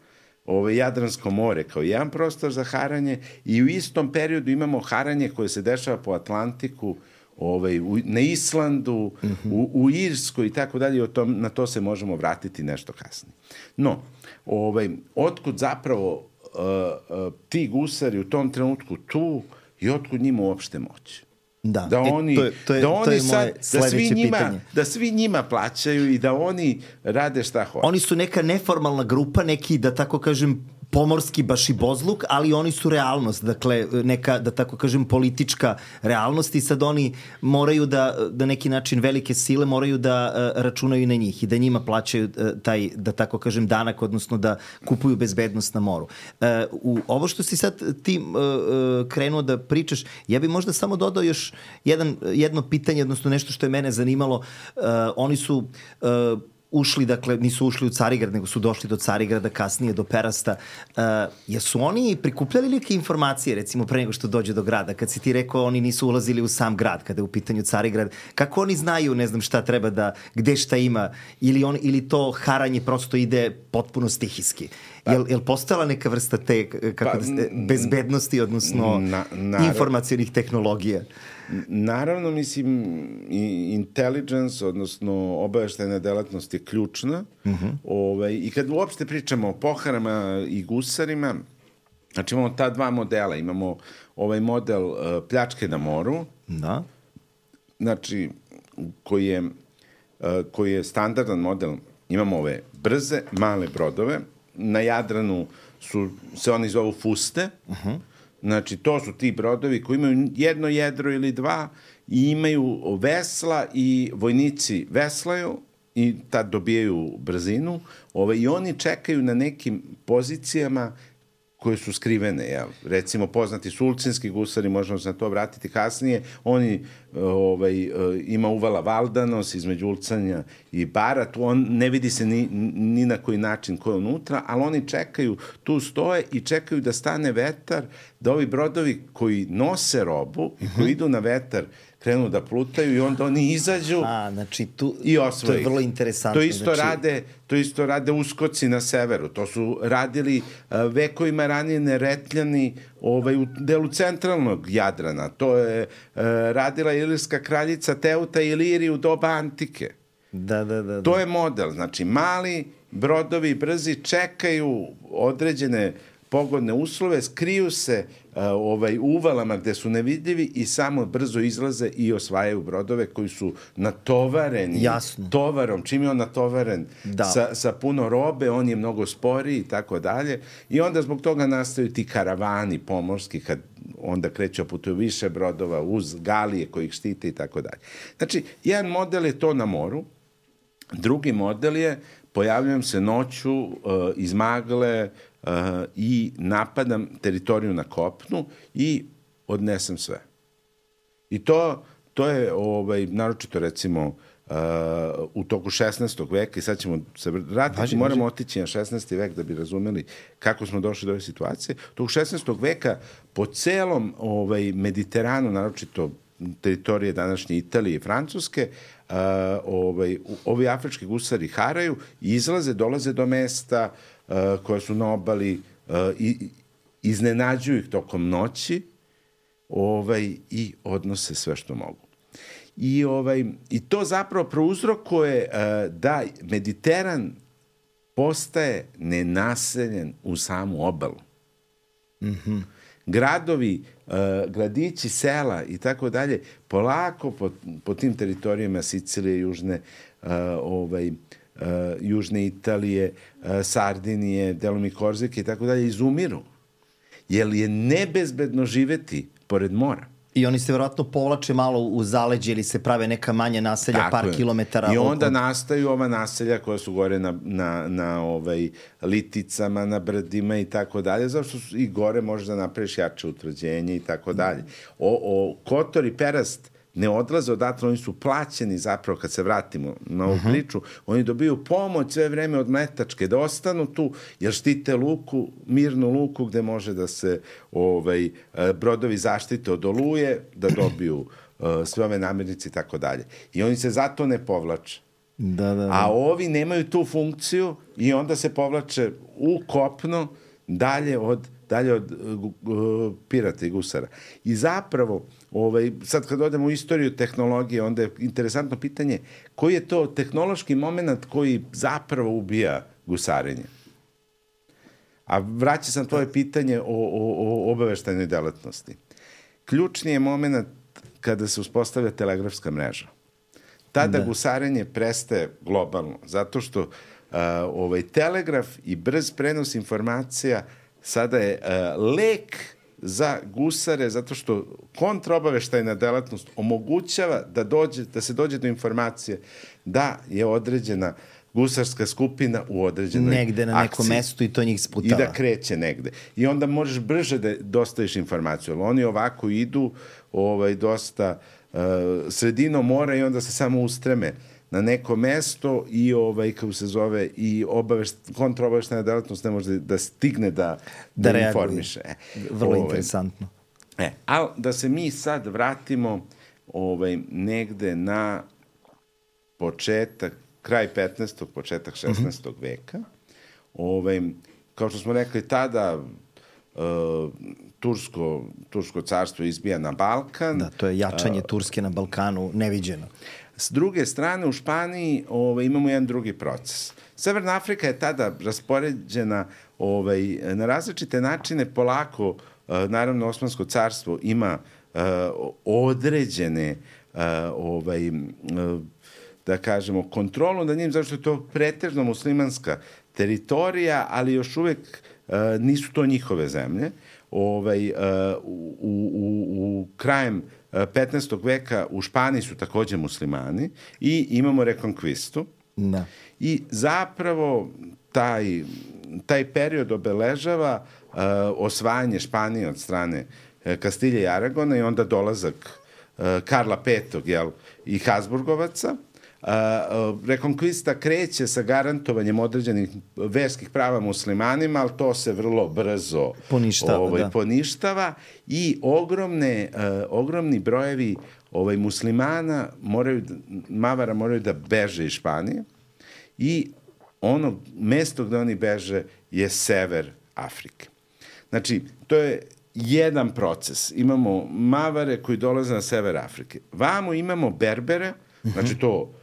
Ove, Jadransko more kao jedan prostor za haranje i u istom periodu imamo haranje koje se dešava po Atlantiku, ovaj, u, na Islandu, mm-hmm. u, u Irskoj i tako dalje, na to se možemo vratiti nešto kasnije. No, ovaj, otkud zapravo uh, uh, ti gusari u tom trenutku tu i otkud njima uopšte moći? Da, da oni, e, to je, to je, da oni to je sad, da svi, njima, pitanje. da svi njima plaćaju i da oni rade šta hoće. Oni su neka neformalna grupa, neki, da tako kažem, pomorski bašibozluk, ali oni su realnost, dakle neka, da tako kažem, politička realnost i sad oni moraju da, da neki način velike sile moraju da uh, računaju na njih i da njima plaćaju uh, taj, da tako kažem, danak, odnosno da kupuju bezbednost na moru. Uh, u ovo što si sad ti uh, uh, krenuo da pričaš, ja bi možda samo dodao još jedan, jedno pitanje, odnosno nešto što je mene zanimalo. Uh, oni su uh, ušli, dakle, nisu ušli u Carigrad, nego su došli do Carigrada, kasnije do Perasta. Uh, jesu oni prikupljali neke informacije, recimo, pre nego što dođe do grada? Kad si ti rekao, oni nisu ulazili u sam grad, kada je u pitanju Carigrad. Kako oni znaju, ne znam, šta treba da, gde šta ima? Ili, on, ili to haranje prosto ide potpuno stihijski? Pa, jel, jel postojala neka vrsta te kako pa, da, bezbednosti, odnosno na, na, informacijonih tehnologija? Naravno, mislim, intelligence, odnosno obaveštajna delatnost je ključna. Uh-huh. Ovaj, I kad uopšte pričamo o poharama i gusarima, znači imamo ta dva modela. Imamo ovaj model uh, pljačke na moru, da. Znači, koji je, uh, koji je standardan model. Imamo ove brze, male brodove. Na Jadranu su, se oni zovu fuste. Uh-huh. Znači, to su ti brodovi koji imaju jedno jedro ili dva i imaju vesla i vojnici veslaju i tad dobijaju brzinu, ovaj, i oni čekaju na nekim pozicijama koje su skrivene, jel? Recimo poznati sulcinski gusari, možemo se na to vratiti kasnije, oni ovaj, ima uvala Valdanos između Ulcanja i Bara, tu on ne vidi se ni, ni na koji način ko je unutra, ali oni čekaju, tu stoje i čekaju da stane vetar, da ovi brodovi koji nose robu i koji idu na vetar krenu da plutaju i onda oni izađu. A, znači tu, i osvoji. To je vrlo interesantno. To isto, znači... rade, to isto rade uskoci na severu. To su radili uh, vekovima ranije Neretljani ovaj, u delu centralnog Jadrana. To je uh, radila ilirska kraljica Teuta Iliri u doba antike. Da, da, da, da. To je model. Znači, mali brodovi brzi čekaju određene pogodne uslove, skriju se uh, ovaj, uvalama gde su nevidljivi i samo brzo izlaze i osvajaju brodove koji su natovareni Jasno. tovarom. Čim je on natovaren da. sa, sa puno robe, on je mnogo sporiji i tako dalje. I onda zbog toga nastaju ti karavani pomorski, kad onda kreću putuju više brodova uz galije koji ih štite i tako dalje. Znači, jedan model je to na moru, drugi model je pojavljujem se noću uh, iz magle uh, i napadam teritoriju na kopnu i odnesem sve. I to, to je ovaj, naročito recimo uh, u toku šesnaestog veka i sad ćemo se vratiti, važi, moramo važi. otići na šesnaesti vek da bi razumeli kako smo došli do ove situacije. U toku šesnaestog veka po celom ovaj, Mediteranu, naročito teritorije današnje Italije i Francuske, uh, ovaj, ovi afrički gusari haraju i izlaze, dolaze do mesta uh, koja su na obali uh, i iznenađuju ih tokom noći ovaj, i odnose sve što mogu. I, ovaj, i to zapravo prouzrokuje uh, da Mediteran postaje nenaseljen u samu obalu. Mhm. Gradovi, uh, gradići, sela i tako dalje, polako po, po tim teritorijama Sicilije, južne, uh, ovaj, uh, južne Italije, uh, Sardinije, delom i Korzike i tako dalje, izumiru. Jer je nebezbedno živeti pored mora. I oni se verovatno povlače malo u zaleđe ili se prave neka manje naselja, tako par je. kilometara. I onda od... nastaju ova naselja koja su gore na, na, na ovaj, liticama, na brdima i tako dalje, zašto su i gore možeš da napraviš jače utvrđenje i tako dalje. O, o, Kotor i Perast ne odlaze odatle, oni su plaćeni zapravo, kad se vratimo na ovu uh-huh. priču, oni dobiju pomoć sve vreme od Mletačke da ostanu tu, jer štite luku, mirnu luku gde može da se ovaj, brodovi zaštite od oluje, da dobiju uh, sve ove namirnice i tako dalje. I oni se zato ne povlače. Da, da, da. A ovi nemaju tu funkciju i onda se povlače u kopno dalje od dalje od uh, pirata i gusara. I zapravo, ovaj, sad kad odemo u istoriju tehnologije, onda je interesantno pitanje koji je to tehnološki moment koji zapravo ubija gusarenje. A vraća sam tvoje pitanje o, o, o obaveštajnoj delatnosti. Ključni je moment kada se uspostavlja telegrafska mreža. Tada da. gusarenje prestaje globalno, zato što uh, ovaj, telegraf i brz prenos informacija sada je uh, lek za gusare, zato što kontraobaveštajna delatnost omogućava da, dođe, da se dođe do informacije da je određena gusarska skupina u određenoj negde na nekom akciji, mestu i to njih sputava. I da kreće negde. I onda možeš brže da dostaviš informaciju. Ali oni ovako idu ovaj, dosta uh, sredinom mora i onda se samo ustreme na neko mesto i ovaj kako se zove i obavešt kontraobaveštajna delatnost ne može da stigne da da, da informiše. E, Vrlo ovaj, interesantno. E, al da se mi sad vratimo ovaj negde na početak, kraj petnaestog, početak šesnaestog mm-hmm. veka. Ovaj kao što smo rekli tada uh, Tursko, Tursko carstvo izbija na Balkan. Da, to je jačanje uh, Turske na Balkanu neviđeno. S druge strane, u Španiji ovaj, imamo jedan drugi proces. Severna Afrika je tada raspoređena ovaj, na različite načine, polako, naravno, Osmansko carstvo ima uh, određene uh, ovaj, uh, da kažemo, kontrolu nad njim, zašto je to pretežno muslimanska teritorija, ali još uvek uh, nisu to njihove zemlje. Ovaj, uh, u, u, u krajem petnaestog veka u Španiji su takođe muslimani i imamo rekonkvistu. Da. I zapravo taj, taj period obeležava uh, osvajanje Španije od strane uh, Kastilje i Aragona i onda dolazak uh, Karla petog jel, i Habsburgovaca. Uh, uh, rekonkvista kreće sa garantovanjem određenih verskih prava muslimanima, ali to se vrlo brzo poništava, ovaj, da. poništava i ogromne, uh, ogromni brojevi ovaj, muslimana moraju, Mavara moraju da beže iz Španije i ono mesto gde oni beže je sever Afrike. Znači, to je jedan proces. Imamo Mavare koji dolaze na sever Afrike. Vamo imamo Berbere, znači to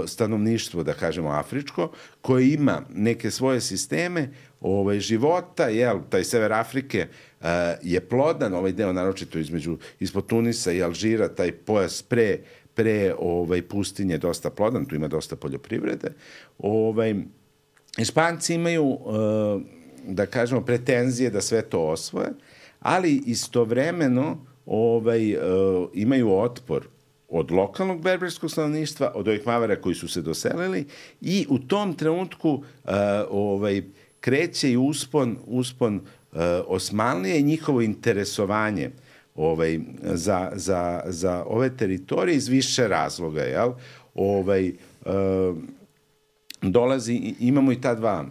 stanovništvo, da kažemo, afričko, koje ima neke svoje sisteme ovaj, života, jel, taj sever Afrike uh, je plodan, ovaj deo naročito između, ispod Tunisa i Alžira, taj pojas pre, pre ovaj, pustinje dosta plodan, tu ima dosta poljoprivrede. Ovaj, Španci imaju, uh, da kažemo, pretenzije da sve to osvoje, ali istovremeno ovaj, uh, imaju otpor od lokalnog berberskog stanovništva, od ovih Mavara koji su se doselili i u tom trenutku uh, ovaj, kreće i uspon, uspon uh, Osmanlije i njihovo interesovanje ovaj, za, za, za ove teritorije iz više razloga. Jel? Ovaj, uh, dolazi, imamo i ta dva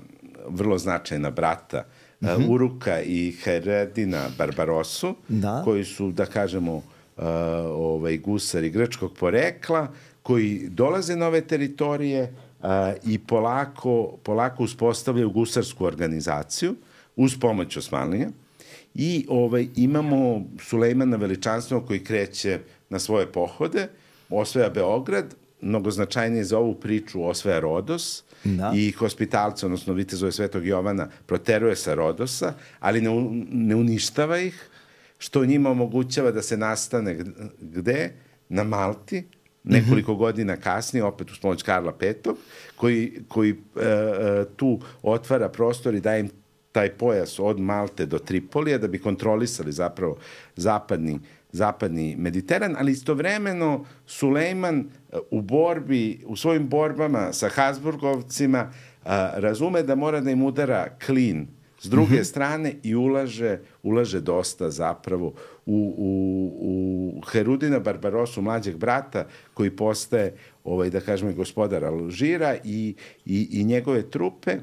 vrlo značajna brata, uh, mm-hmm. Uruka i Heredina Barbarosu, da. Koji su, da kažemo, Uh, ovaj, gusari grčkog porekla koji dolaze na ove teritorije uh, i polako, polako uspostavljaju gusarsku organizaciju uz pomoć Osmanlija i ovaj, imamo Sulejmana Veličanstvenog koji kreće na svoje pohode, osvaja Beograd, mnogo značajnije za ovu priču osvaja Rodos, da. I hospitalce, odnosno vitezove Svetog Jovana proteruje sa Rodosa, ali ne, ne uništava ih, što njima omogućava da se nastane gde? Na Malti, nekoliko mm-hmm. godina kasnije, opet uz pomoć Karla petog, koji, koji e, tu otvara prostor i daje im taj pojas od Malte do Tripolija da bi kontrolisali zapravo zapadni, zapadni Mediteran, ali istovremeno Sulejman u borbi, u svojim borbama sa Habsburgovcima a, razume da mora da im udara klin s druge mm-hmm. strane i ulaže, ulaže dosta zapravo u, u, u Herudina Barbarosu, mlađeg brata, koji postaje, ovaj, da kažemo, gospodar Alžira i, i, i njegove trupe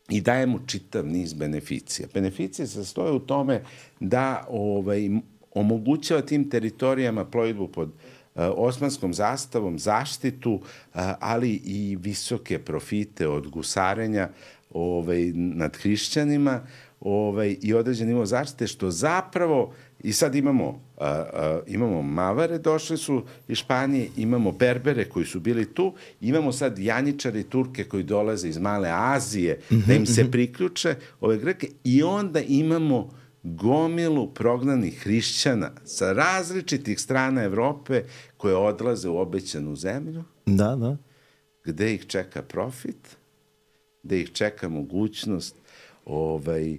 i daje mu čitav niz beneficija. Beneficije se sastoje u tome da ovaj, omogućava tim teritorijama plovidbu pod uh, osmanskom zastavom, zaštitu, uh, ali i visoke profite od gusarenja ovaj, nad hrišćanima ovaj, i određen nivo zaštite, što zapravo, i sad imamo, uh, uh, imamo Mavare, došli su iz Španije, imamo Berbere koji su bili tu, imamo sad Janjičare i Turke koji dolaze iz Male Azije, mm-hmm, da im se mm-hmm. priključe ove Greke, i onda imamo gomilu prognanih hrišćana sa različitih strana Evrope koje odlaze u obećanu zemlju, da, da. Gde ih čeka profit, gde ih čeka mogućnost ovaj,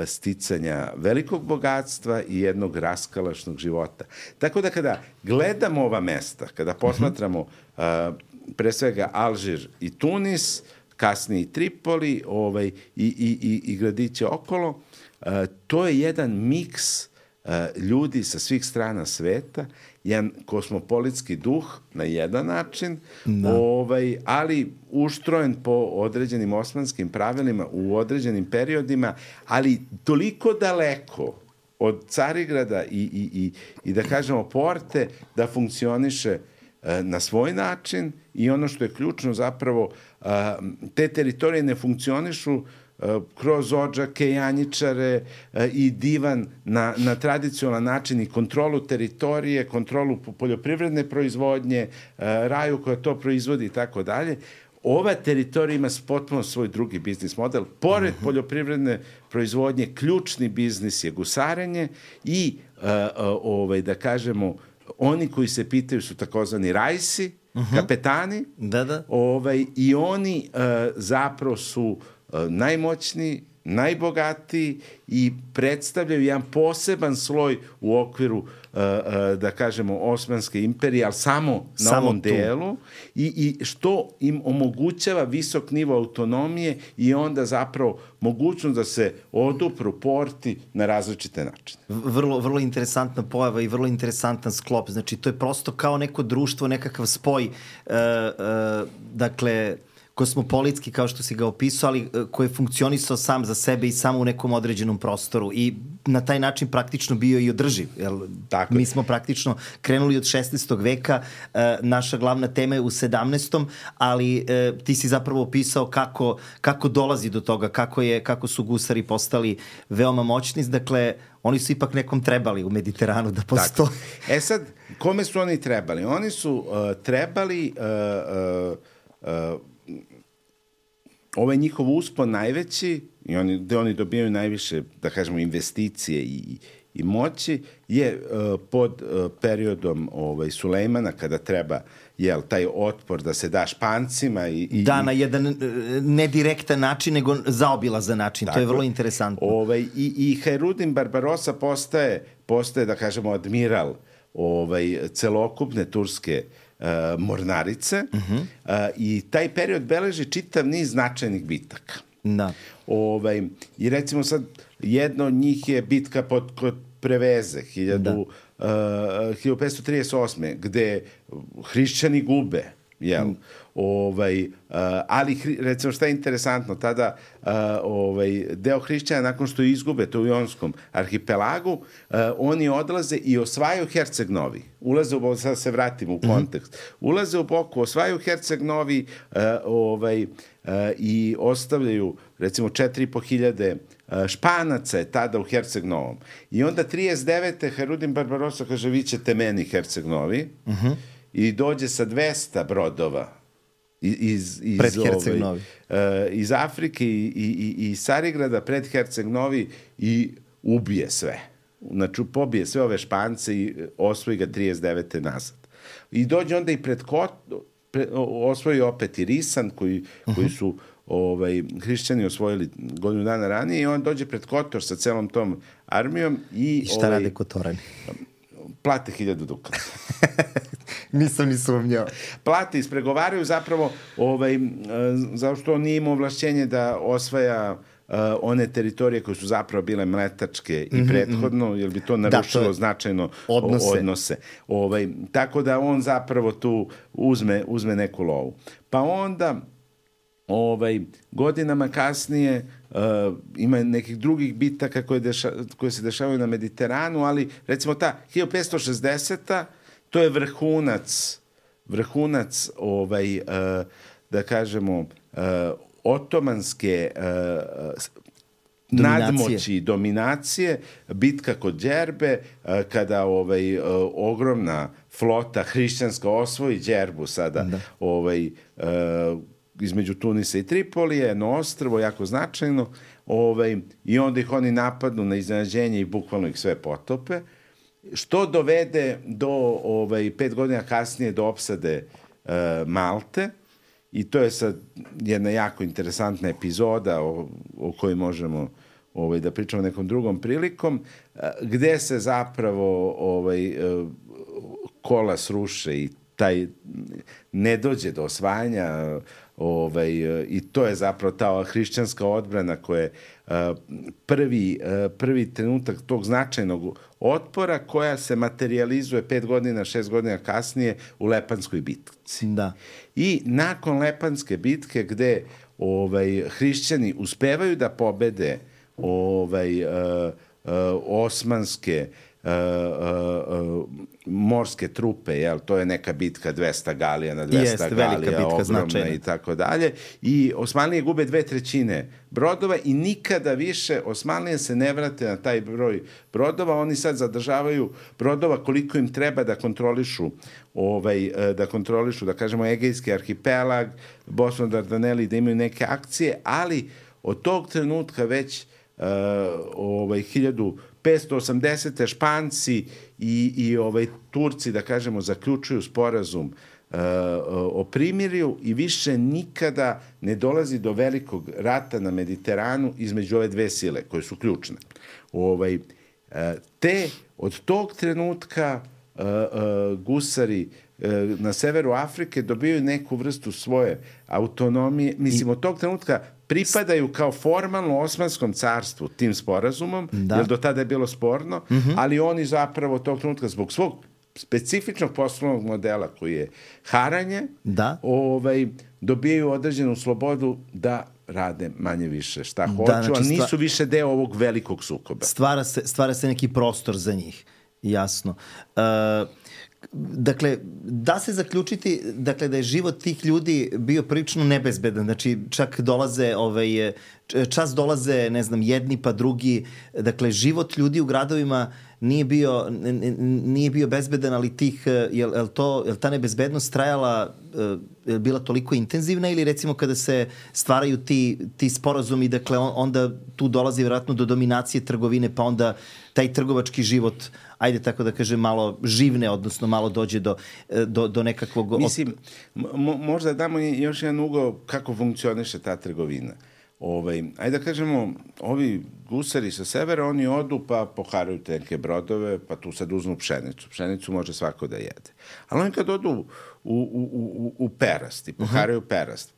sticanja velikog bogatstva i jednog raskalašnog života. Tako da kada gledamo ova mesta, kada posmatramo uh, pre svega Alžir i Tunis, kasnije i Tripoli ovaj, i, i, i, i gradiće okolo, uh, to je jedan miks uh, ljudi sa svih strana sveta, jedan kosmopolitski duh na jedan način, da. ovaj, ali uštrojen po određenim osmanskim pravilima u određenim periodima, ali toliko daleko od Carigrada i, i, i, i da kažemo Porte da funkcioniše e, na svoj način, i ono što je ključno zapravo, e, te teritorije ne funkcionišu kroz odžake, Janjičare i divan na, na tradicionalan način i kontrolu teritorije, kontrolu poljoprivredne proizvodnje, raju koja to proizvodi i tako dalje. Ova teritorija ima potpuno svoj drugi biznis model. Pored uh-huh. poljoprivredne proizvodnje, ključni biznis je gusarenje i, uh, uh, ovaj, da kažemo, oni koji se pitaju su takozvani rajsi, uh-huh. kapetani, da, da. Ovaj, i oni uh, zapravo su Uh, najmoćniji, najbogatiji i predstavljaju jedan poseban sloj u okviru, da kažemo, Osmanske imperije, ali samo na samo ovom tu. delu i, i što im omogućava visok nivo autonomije i onda zapravo mogućnost da se odupru porti na različite načine. Vrlo, vrlo interesantna pojava i vrlo interesantan sklop. Znači, to je prosto kao neko društvo, nekakav spoj, uh, uh, dakle, kosmopolitski, kao što si ga opisao, ali koji je funkcionisao sam za sebe i samo u nekom određenom prostoru i na taj način praktično bio i održiv. Jel? Tako Mi smo praktično krenuli od šesnaestog veka, e, naša glavna tema je u sedamnaestom ali e, ti si zapravo opisao kako, kako dolazi do toga, kako, je, kako su gusari postali veoma moćni. Dakle, oni su ipak nekom trebali u Mediteranu da postoje. Tako. E sad, kome su oni trebali? Oni su uh, trebali uh, uh, uh, ovaj njihov uspon najveći, i oni, gde oni dobijaju najviše, da kažemo, investicije i, i moći, je uh, pod uh, periodom ovaj, Sulejmana, kada treba jel, taj otpor da se da Špancima. I, i, da, na jedan ne direktan način, nego zaobilazan način. Tako, to je vrlo interesantno. Ovaj, i, I Hajrudin Barbarosa postaje, postaje, da kažemo, admiral ovaj, celokupne turske Uh, mornarice uh-huh. uh, i taj period beleži čitav niz značajnih bitaka. Da. Ovaj, I recimo sad, jedno od njih je bitka pod, kod Preveze, hiljadu petsto trideset osme gde hrišćani gube, jel? Mm. Ovaj, uh, ali, recimo, šta je interesantno, tada uh, ovaj, deo hrišćana, nakon što izgube to u Jonskom arhipelagu, uh, oni odlaze i osvajaju Herceg Novi. Ulaze u, sad se vratimo u kontekst, mm-hmm. ulaze u Boku, osvajaju Herceg Novi uh, ovaj, uh, i ostavljaju, recimo, četiri i po hiljade uh, Španaca je tada u Herceg Novom. I onda trideset devete Hajrudin Barbarosa kaže, vi ćete meni Herceg Novi, mm-hmm. i dođe sa dvesta brodova iz, iz, pred Herceg Novi. Ovaj, uh, iz Afrike i, i, i Carigrada pred Herceg Novi i ubije sve. Znači, pobije sve ove Špance i osvoji ga trideset devete nazad. I dođe onda i pred Kot, pre, osvoji opet i Risan, koji, uh-huh. koji su ovaj, hrišćani osvojili godinu dana ranije, i on dođe pred Kotor sa celom tom armijom. I, I šta ovaj, rade Kotorani? Plate hiljadu dukata. Nisam ni sumnjao. Plate ispregovaraju zapravo, ovaj, zato što on nije imao ovlašćenje da osvaja uh, one teritorije koje su zapravo bile mletačke i mm-hmm, prethodno, jer bi to narušilo da, to značajno odnose. odnose. Ovaj, tako da on zapravo tu uzme, uzme neku lovu. Pa onda ovaj, godinama kasnije uh, ima nekih drugih bitaka koje, deša, koje se dešavaju na Mediteranu, ali recimo ta hiljadu petsto šezdeseta to je vrhunac, vrhunac ovaj, uh, da kažemo, uh, otomanske uh, nadmoći i dominacije, bitka kod Đerbe, uh, kada ovaj, uh, ogromna flota hrišćanska osvoji Đerbu sada, da. ovaj, uh, između Tunisa i Tripolije, jedno ostrvo, jako značajno, ovaj, i onda ih oni napadnu na iznenađenje i bukvalno ih sve potope, što dovede do, ovaj, pet godina kasnije, do opsade uh, Malte, i to je sad jedna jako interesantna epizoda o, o kojoj možemo ovaj, da pričamo nekom drugom prilikom, uh, gde se zapravo ovaj, uh, kola sruše i taj ne dođe do osvajanja, ovaj, i to je zapravo ta hrišćanska odbrana koja je uh, prvi, uh, prvi trenutak tog značajnog otpora, koja se materializuje pet godina, šest godina kasnije u Lepanskoj bitci. Da. I nakon Lepanske bitke, gde ovaj, hrišćani uspevaju da pobede ovaj, uh, uh, osmanske Uh, uh, uh, morske trupe, jel, to je neka bitka dvesta galija na dvesta Jest, galija, bitka, ogromna značajna. I tako dalje. I Osmanlije gube dve trećine brodova i nikada više Osmanlije se ne vrate na taj broj brodova. Oni sad zadržavaju brodova koliko im treba da kontrolišu ovaj, da kontrolišu, da kažemo, Egejski arhipelag, Bosnu, Dardaneli, da imaju neke akcije, ali od tog trenutka već uh, ovaj, hiljadu petsto osamdesete Španci i, i ovaj, Turci, da kažemo, zaključuju sporazum uh, o primirju i više nikada ne dolazi do velikog rata na Mediteranu između ove dve sile koje su ključne. Ovaj, uh, te od tog trenutka uh, uh, gusari uh, na severu Afrike dobijaju neku vrstu svoje autonomije. Mislim, od tog trenutka pripadaju kao formalno Osmanskom carstvu tim sporazumom, da. Jer do tada je bilo sporno, mm-hmm. ali oni zapravo od tog trenutka zbog svog specifičnog poslovnog modela koji je haranje, da. Ovaj, dobijaju određenu slobodu da rade manje više šta hoću, da, znači, a nisu stva... više deo ovog velikog sukoba. Stvara se, stvara se neki prostor za njih, jasno. Uh, Dakle, da se zaključiti dakle, da je život tih ljudi bio prilično nebezbedan. Znači, čak dolaze, ovaj, čas dolaze, ne znam, jedni pa drugi. Dakle, život ljudi u gradovima nije bio, nije bio bezbedan, ali tih, je li to, je li ta nebezbednost trajala, je bila toliko intenzivna ili recimo kada se stvaraju ti, ti sporazumi, dakle, onda tu dolazi vjerojatno do dominacije trgovine, pa onda taj trgovački život, ajde tako da kažem, malo živne, odnosno malo dođe do, do, do nekakvog... Mislim, mo- možda damo još jedan ugao kako funkcioniše ta trgovina. Ovaj, ajde da kažemo, ovi gusari sa severa, oni odu pa poharaju te neke brodove, pa tu sad uznu pšenicu. Pšenicu može svako da jede. Ali oni kad odu u, u, u, u Perast i poharaju uh-huh. Perast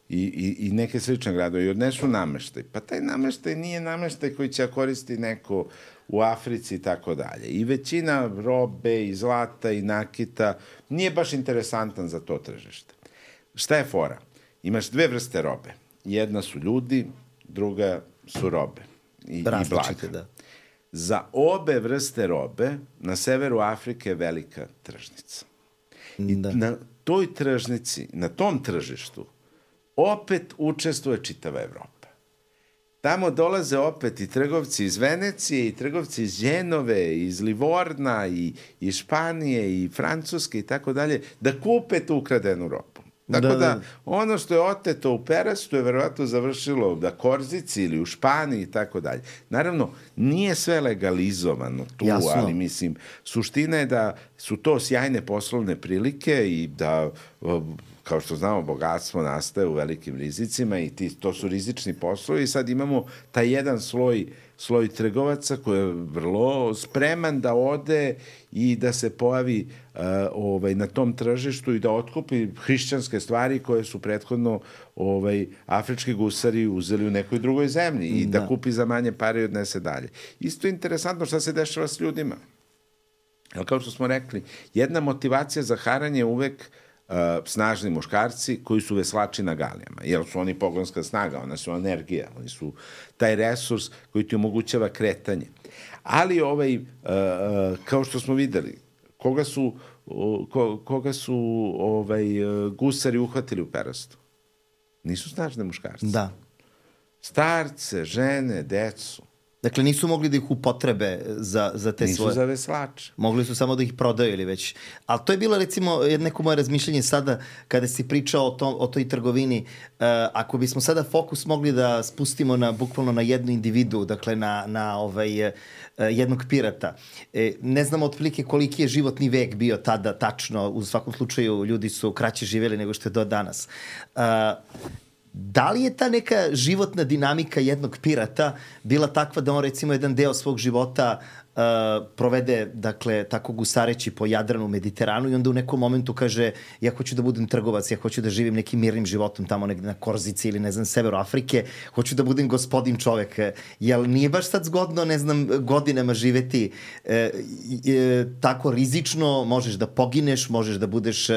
i, i, i neke slične gradove i odnesu nameštaj, pa taj nameštaj nije nameštaj koji će koristi neko u Africi i tako dalje. I većina robe i zlata i nakita nije baš interesantan za to tržište. Šta je fora? Imaš dve vrste robe. Jedna su ljudi, druga su robe i, i blaga. Da. Za obe vrste robe na severu Afrike je velika tržnica. I da. Na toj tržnici, na tom tržištu, opet učestvuje čitava Evropa. Tamo dolaze opet i trgovci iz Venecije, i trgovci iz Ženove, iz Livorna, i iz Španije, i Francuske, i tako dalje, da kupe tu ukradenu robu. Tako da, da, da ono što je oteto u Perastu je verovatno završilo da Korzici ili u Španiji i tako dalje. Naravno, nije sve legalizovano tu, jasno. Ali mislim, suština je da su to sjajne poslovne prilike i da, kao što znamo, bogatstvo nastaje u velikim rizicima i ti, to su rizični poslovi i sad imamo taj jedan sloj sloj trgovaca koji je vrlo spreman da ode i da se pojavi uh, ovaj, na tom tržištu i da otkupi hrišćanske stvari koje su prethodno ovaj, afrički gusari uzeli u nekoj drugoj zemlji i da, da kupi za manje pare i odnese dalje. Isto je interesantno šta se dešava s ljudima. Ali kao što smo rekli, jedna motivacija za haranje je uvek Uh, snažni muškarci koji su veslači na galijama, jer su oni pogonska snaga, ona su energija, oni su taj resurs koji ti omogućava kretanje. Ali ovaj, uh, uh, kao što smo videli, koga su, uh, ko, koga su ovaj, uh, gusari uhvatili u Perastu? Nisu snažne muškarci. Da. Starce, žene, decu. Dakle, nisu mogli da ih upotrebe za, za te nisu svoje... Nisu za veslače. Mogli su samo da ih prodaju ili već. Ali to je bilo, recimo, neko moje razmišljanje sada kada si pričao o, tom, o toj trgovini. Uh, ako bismo sada fokus mogli da spustimo na, bukvalno na jednu individu, dakle, na, na ovaj, uh, jednog pirata. E, ne znamo otprilike koliki je životni vek bio tada tačno. U svakom slučaju, ljudi su kraće živjeli nego što je do danas. Uh, Da li je ta neka životna dinamika jednog pirata bila takva da on recimo jedan deo svog života uh, provede, dakle, tako gusareći po Jadranu, Mediteranu i onda u nekom momentu kaže ja hoću da budem trgovac, ja hoću da živim nekim mirnim životom tamo negde na Korzici ili ne znam, severu Afrike, hoću da budem gospodin čovek. Jel nije baš sad zgodno, ne znam, godinama živeti e, e, tako rizično, možeš da pogineš, možeš da budeš,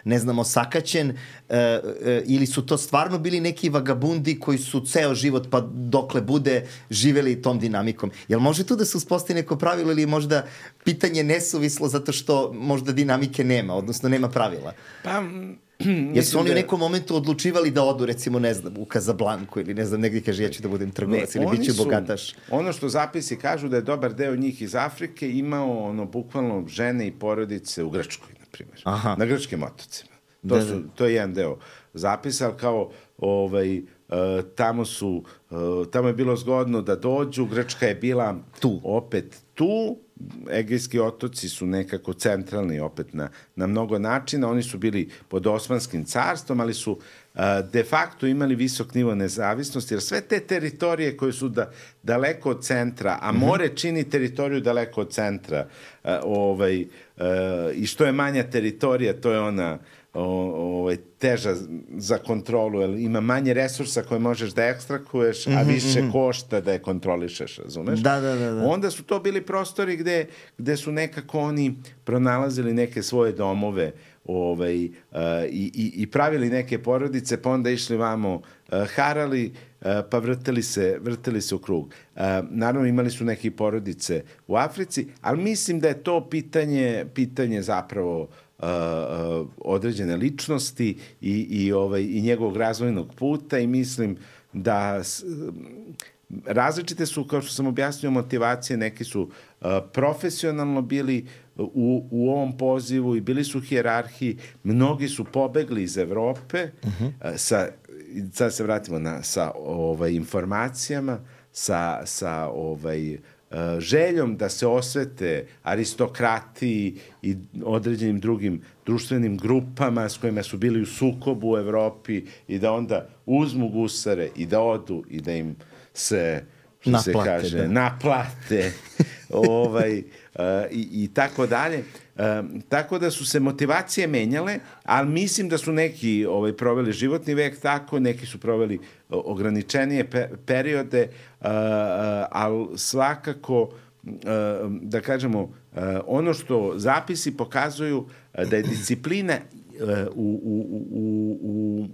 ne znam, osakaćen, e, e, ili su to stvarno bili neki vagabundi koji su ceo život pa dokle bude živeli tom dinamikom. Jel može tu da se uspostavi neko pravilo ili možda pitanje nesuvislo zato što možda dinamike nema, odnosno nema pravila? Pa, jer su oni da... u nekom momentu odlučivali da odu, recimo, ne znam, u Kazablanku ili ne znam, negdje kaže ja ću da budem trgovac ne, ili bit ću su, bogataš. Ono što zapisi kažu da je dobar deo njih iz Afrike imao ono, bukvalno žene i porodice u Grčkoj, na primjer. Aha. Na grčkim otocima. To, da, su, to je jedan deo zapisa, ali kao ovaj, tamo su, tamo je bilo zgodno da dođu, Grčka je bila tu. opet tu, Egejski otoci su nekako centralni opet na, na mnogo načina, oni su bili pod Osmanskim carstvom, ali su de facto imali visok nivo nezavisnosti, jer sve te teritorije koje su da, daleko od centra, a more čini teritoriju daleko od centra, ovaj, i što je manja teritorija, to je ona ovaj, teža za kontrolu, jer ima manje resursa koje možeš da ekstrakuješ, a više košta da je kontrolišeš, razumeš? Da, da, da, da. Onda su to bili prostori gde, gde su nekako oni pronalazili neke svoje domove, ovaj, uh, i, i, i pravili neke porodice, pa onda išli vamo, uh, harali, uh, pa vrteli se, vrteli se u krug. Uh, naravno, imali su neke porodice u Africi, ali mislim da je to pitanje, pitanje zapravo uh, uh, određene ličnosti i, i, ovaj, i njegovog razvojnog puta i mislim da s, različite su, kao što sam objasnio, motivacije, neki su uh, profesionalno bili u, u ovom pozivu i bili su hijerarhiji, mnogi su pobegli iz Evrope, uh-huh. uh, sa, sad se vratimo na, sa ovaj, informacijama, sa, sa ovaj, uh, željom da se osvete aristokratiji i određenim drugim društvenim grupama s kojima su bili u sukobu u Evropi i da onda uzmu gusare i da odu i da im se, što naplate, se kaže, da. naplate ovaj, uh, i, i tako dalje. Uh, tako da su se motivacije menjale, ali mislim da su neki ovaj, proveli životni vek tako, neki su proveli uh, ograničenije pe periode, uh, uh, ali svakako, uh, da kažemo, uh, ono što zapisi pokazuju uh, da je disciplina uh, u, u, u, u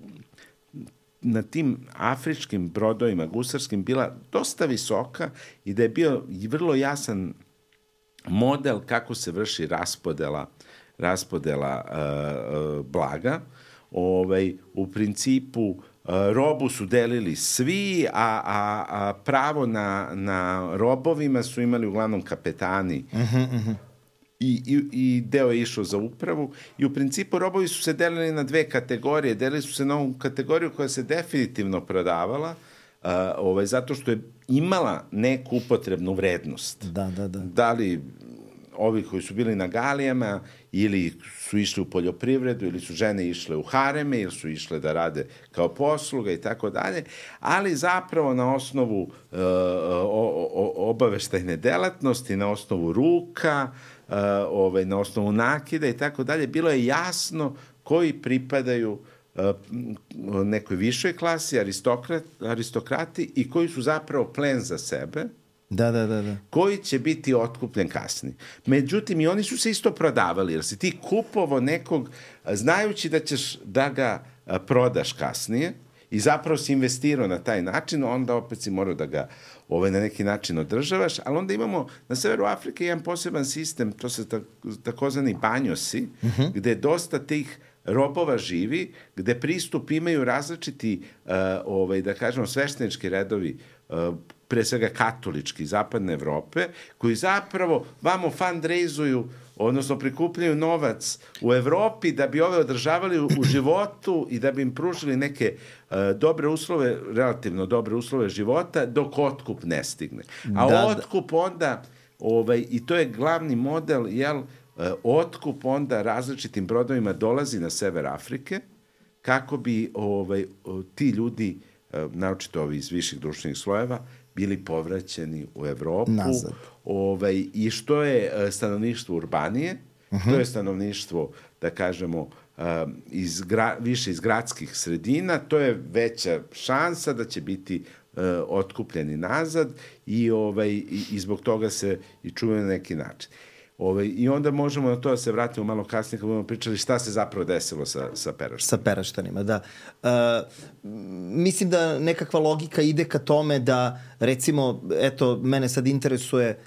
na tim afričkim brodovima gusarskim bila dosta visoka i da je bio vrlo jasan model kako se vrši raspodela, raspodela uh, uh, blaga. Ovaj, u principu uh, robu su delili svi, a, a, a pravo na, na robovima su imali uglavnom kapetani. Uh-huh, uh-huh. I, i, i deo je išao za upravu i u principu robovi su se delili na dve kategorije. Delili su se na ovu kategoriju koja se definitivno prodavala, uh, ovaj, zato što je imala neku upotrebnu vrednost. Da, da, da. Da li ovi koji su bili na galijama ili su išli u poljoprivredu ili su žene išle u hareme ili su išle da rade kao posluga i tako dalje, ali zapravo na osnovu uh, o, o, obaveštajne delatnosti, na osnovu ruka, Uh, ovaj, na osnovu nakida i tako dalje, bilo je jasno koji pripadaju uh, nekoj višoj klasi, aristokrat, aristokrati i koji su zapravo plen za sebe, da, da, da, da. koji će biti otkupljen kasnije. Međutim, i oni su se isto prodavali, jer si ti kupovo nekog, znajući da ćeš da ga uh, prodaš kasnije i zapravo si investirao na taj način, onda opet si morao da ga ovaj, na neki način održavaš, ali onda imamo na severu Afrike jedan poseban sistem, to se takozvani banjosi, uh-huh. gde dosta tih robova živi, gde pristup imaju različiti, uh, ovaj, da kažemo, sveštenički redovi, uh, pre svega katolički, zapadne Evrope, koji zapravo vamo fundraizuju, odnosno prikupljaju novac u Evropi da bi ove održavali u, u životu i da bi im pružili neke uh, dobre uslove, relativno dobre uslove života, dok otkup ne stigne. A da, otkup onda, ovaj, i to je glavni model, jel, uh, otkup onda različitim brodovima dolazi na sever Afrike, kako bi ovaj, ti ljudi, uh, naočito ovi iz viših društvenih slojeva, bili povraćeni u Evropu. Nazad. Ovaj, i što je stanovništvo urbanije, uh-huh. to je stanovništvo, da kažemo, iz gra, više iz gradskih sredina, to je veća šansa da će biti uh, otkupljeni nazad i, ovaj, i, i zbog toga se i čuvaju na neki način. Ovaj, I onda možemo na to da se vratimo malo kasnije kad budemo pričali šta se zapravo desilo sa, sa peraštanima. Sa peraštanima, da. Uh, mislim da nekakva logika ide ka tome da, recimo, eto, mene sad interesuje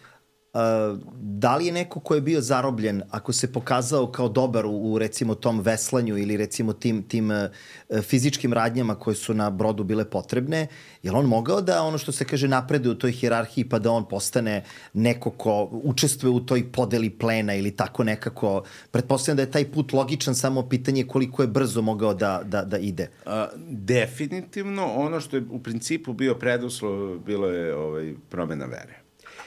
Uh, da li je neko ko je bio zarobljen, ako se pokazao kao dobar u, u recimo tom veslanju ili recimo tim, tim uh, fizičkim radnjama koje su na brodu bile potrebne, je li on mogao da ono što se kaže napreduje u toj hijerarhiji pa da on postane neko ko učestvuje u toj podeli plena ili tako nekako? Pretpostavljam da je taj put logičan, samo pitanje koliko je brzo mogao da, da, da ide. A, definitivno ono što je u principu bio preduslov bilo je ovaj, promena vere.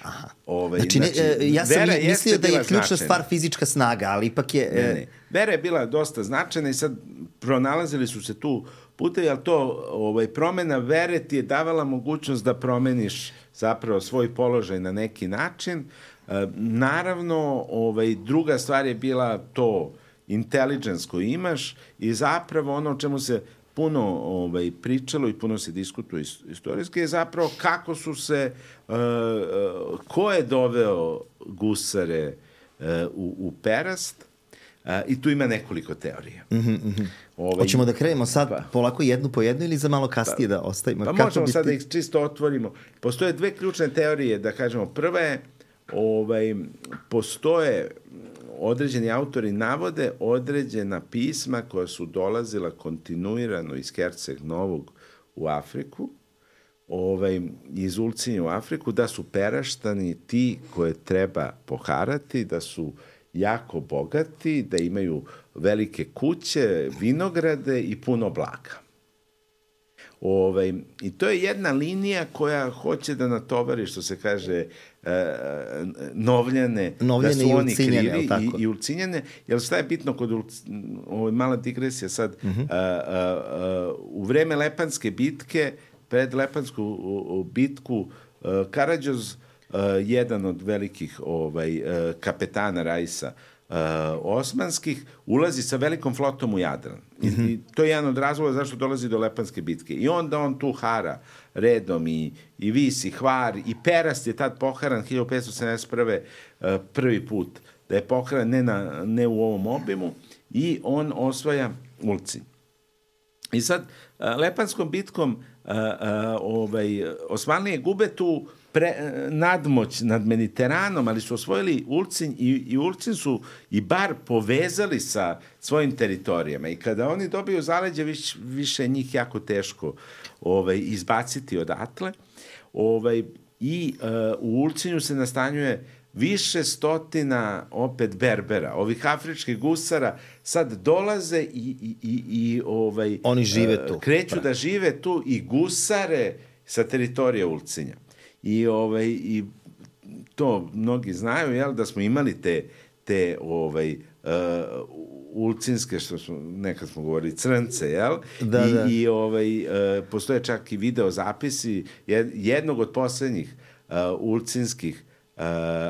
Aha. Ovaj, znači, ne, znači, ja sam mislio da je ključna značajna. stvar fizička snaga, ali ipak je... Ne, ne. Vera je bila dosta značajna i sad pronalazili su se tu putevi, ali to ovaj, promena vere ti je davala mogućnost da promeniš zapravo svoj položaj na neki način. E, naravno, ovaj, druga stvar je bila to intelligence koju imaš i zapravo ono o čemu se puno ovaj, pričalo i puno se diskutuje istorijski je zapravo kako su se, uh, uh, ko je doveo gusare uh, u, u Perast uh, i tu ima nekoliko teorija. Mm-hmm, mm-hmm. Ovaj, Hoćemo da krenemo sad pa, polako jednu po jednu ili za malo kasnije pa, da ostavimo? Pa kako možemo bi sad ti... da ih čisto otvorimo. Postoje dve ključne teorije, da kažemo. Prva je, ovaj, postoje određeni autori navode određena pisma koja su dolazila kontinuirano iz Herceg Novog u Afriku, ovaj, iz Ulcinja u Afriku, da su Peraštani ti koje treba poharati, da su jako bogati, da imaju velike kuće, vinograde i puno blaga. Ovaj, I to je jedna linija koja hoće da natovari, što se kaže, e, Novljane, Novljane da su oni krivi i, i Ulcinjane. Jer šta je bitno kod Ulcinjane, ovo mala digresija sad, uh-huh. a, a, a, u vreme Lepanske bitke, pred Lepansku u, u bitku, a, Karađoz, a, jedan od velikih ovaj, a, kapetana Rajsa, Uh, osmanskih, ulazi sa velikom flotom u Jadran. I, mm-hmm. I to je jedan od razloga zašto dolazi do Lepanske bitke. I onda on tu hara redom i, i Vis i Hvar i Perast je tad poharan hiljadu petsto sedamdeset prve. Uh, prvi put da je poharan ne, na, ne u ovom obimu i on osvaja Ulcinj. I sad uh, Lepanskom bitkom uh, uh, ovaj, Osmanlije gube tu Pre, nadmoć nad Mediteranom, ali su osvojili Ulcinj i, i Ulcinj su i Bar povezali sa svojim teritorijama i kada oni dobiju zaleđe, viš, više njih jako teško ovaj, izbaciti odatle. Ovaj, I uh, u Ulcinju se nastanjuje više stotina opet Berbera, ovih afričkih gusara sad dolaze i, i, i, i ovaj, oni žive tu. Uh, kreću pra. da žive tu i gusare sa teritorija Ulcinja. I, ovaj, i to mnogi znaju, jel, da smo imali te, te ovaj, uh, ulcinske, što smo, nekad smo govorili, crnce, jel? Da, I, da. i ovaj, uh, postoje čak i video zapisi jednog od poslednjih uh, ulcinskih uh,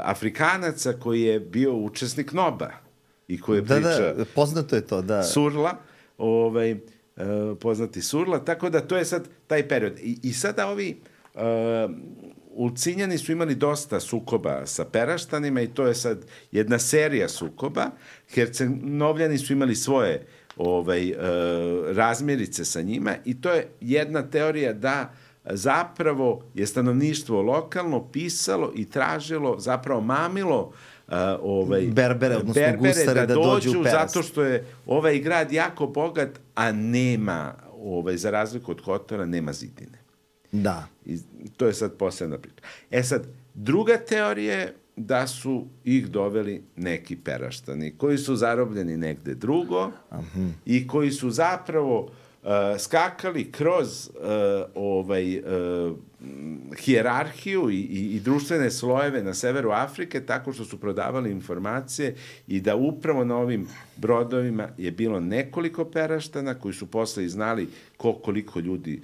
Afrikanaca koji je bio učesnik Noba i koji je da, priča... Da, poznato je to, da. Surla, ovaj, uh, poznati Surla, tako da to je sad taj period. I, i sada ovi... Uh, Ulcinjani su imali dosta sukoba sa Peraštanima i to je sad jedna serija sukoba. Herceg-Novljani su imali svoje ovaj, uh, razmjerice sa njima i to je jedna teorija da zapravo je stanovništvo lokalno pisalo i tražilo, zapravo mamilo uh, ovaj, Berbere, odnosno Berbere gusare da, da dođu, dođu u Perast. zato što je ovaj grad jako bogat, a nema, ovaj, za razliku od Kotora, nema zidine. Da. I to je sad posebna priča. E sad, druga teorija je da su ih doveli neki Peraštani koji su zarobljeni negde drugo Aha. i koji su zapravo uh, skakali kroz uh, ovaj uh, hijerarhiju i, i, i društvene slojeve na severu Afrike tako što su prodavali informacije i da upravo na ovim brodovima je bilo nekoliko Peraštana koji su posle i znali ko, koliko ljudi,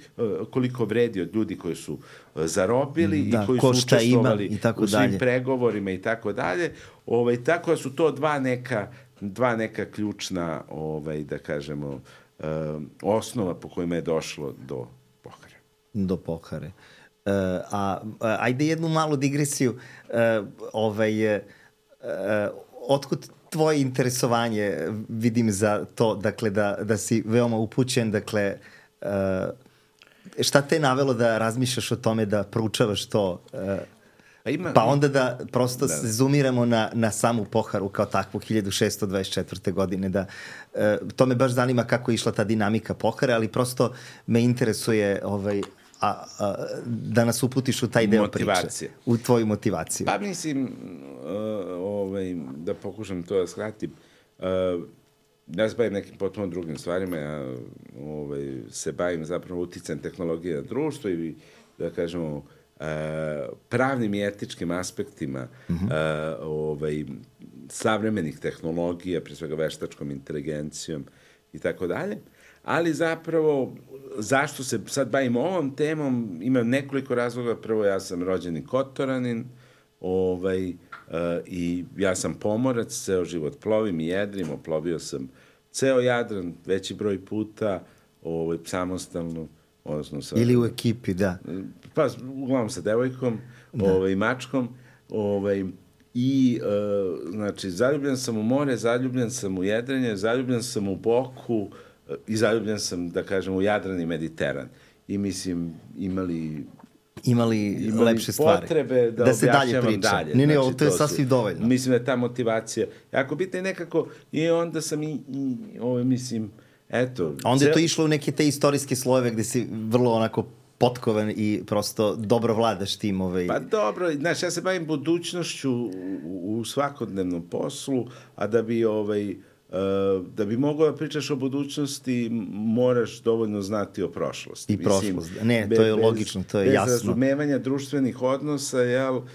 koliko vredi od ljudi koji su zarobili da, i koji su učestvovali i tako u svim dalje. pregovorima i tako dalje. Ovaj, tako da su to dva neka, dva neka ključna, ovaj, da kažemo, um, osnova po kojima je došlo do Pohare. Do Pohare. Uh, a, a ajde jednu malu digresiju. Uh, ovaj, uh, otkud tvoje interesovanje, vidim za to, dakle, da, da si veoma upućen, dakle, uh, šta te je navelo da razmišljaš o tome da proučavaš to? Uh, Pa, ima, pa onda da prosto da. se zoomiramo na, na samu Poharu kao takvu hiljadu šeststo dvadeset četvrte. godine. Da, e, to me baš zanima kako je išla ta dinamika Pohare, ali prosto me interesuje ovaj, a, a, da nas uputiš u taj deo Motivacije. priče. U tvoju motivaciju. Pa mislim, uh, ovaj, da pokušam to da skratim, uh, ja se bavim nekim potpuno drugim stvarima, ja ovaj, se bavim zapravo uticajem tehnologije na društvo i, da kažemo, uh, pravnim i etičkim aspektima mm-hmm. uh, ovaj, savremenih tehnologija, pre svega veštačkom inteligencijom i tako dalje. Ali zapravo, zašto se sad bavim ovom temom, ima nekoliko razloga. Prvo, ja sam rođeni Kotoranin, ovaj, uh, i ja sam pomorac, ceo život plovim i jedrim, oplovio sam ceo Jadran, veći broj puta, ovaj, samostalno, odnosno sa... Ili u ekipi, da. Pa, uglavnom sa devojkom, da. ovaj, mačkom, ovaj, i, uh, znači, zaljubljen sam u more, zaljubljen sam u jedrenje, zaljubljen sam u Boku, i zaljubljen sam, da kažem, u Jadran i Mediteran. I mislim, imali... Imali, imali lepše stvari. Potrebe da, da se dalje objašnjavam priča. dalje. Ne, ne, znači, ovo to je sasvim su, dovoljno. Mislim da je ta motivacija jako bitna i nekako, i onda sam i, i ovo, mislim, eto... A onda cel... je to išlo u neke te istorijske slojeve gde si vrlo onako potkovan i prosto dobro vladaš tim. Ovaj... Pa dobro, znaš, ja se bavim budućnošću u, u svakodnevnom poslu, a da bi ovaj... Uh, da bi mogao da pričaš o budućnosti, moraš dovoljno znati o prošlosti. I prošlost. Ne, to je bez, logično, to je bez jasno. Bez razumevanja društvenih odnosa, jel, uh,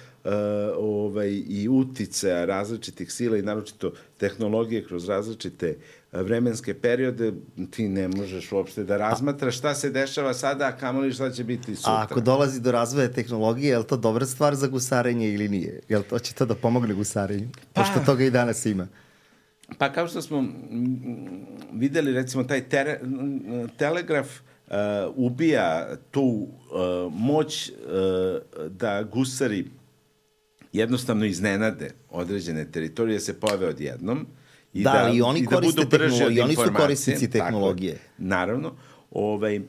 ovaj, i uticaja različitih sila i naročito tehnologije kroz različite vremenske periode, ti ne možeš uopšte da razmatraš šta se dešava sada, a kamoli šta će biti sutra. A ako dolazi do razvoja tehnologije, je li to dobra stvar za gusarenje ili nije? Je li to će to da pomogne gusarenju? Pa, pošto toga i danas ima. Pa kao što smo videli, recimo, taj tere, telegraf uh, ubija tu uh, moć uh, da gusari jednostavno iznenade određene teritorije, se pojave odjednom. I da, da, i oni i koriste da tehnologiju, oni su korisnici tehnologije. Tako, naravno. Ovaj, uh,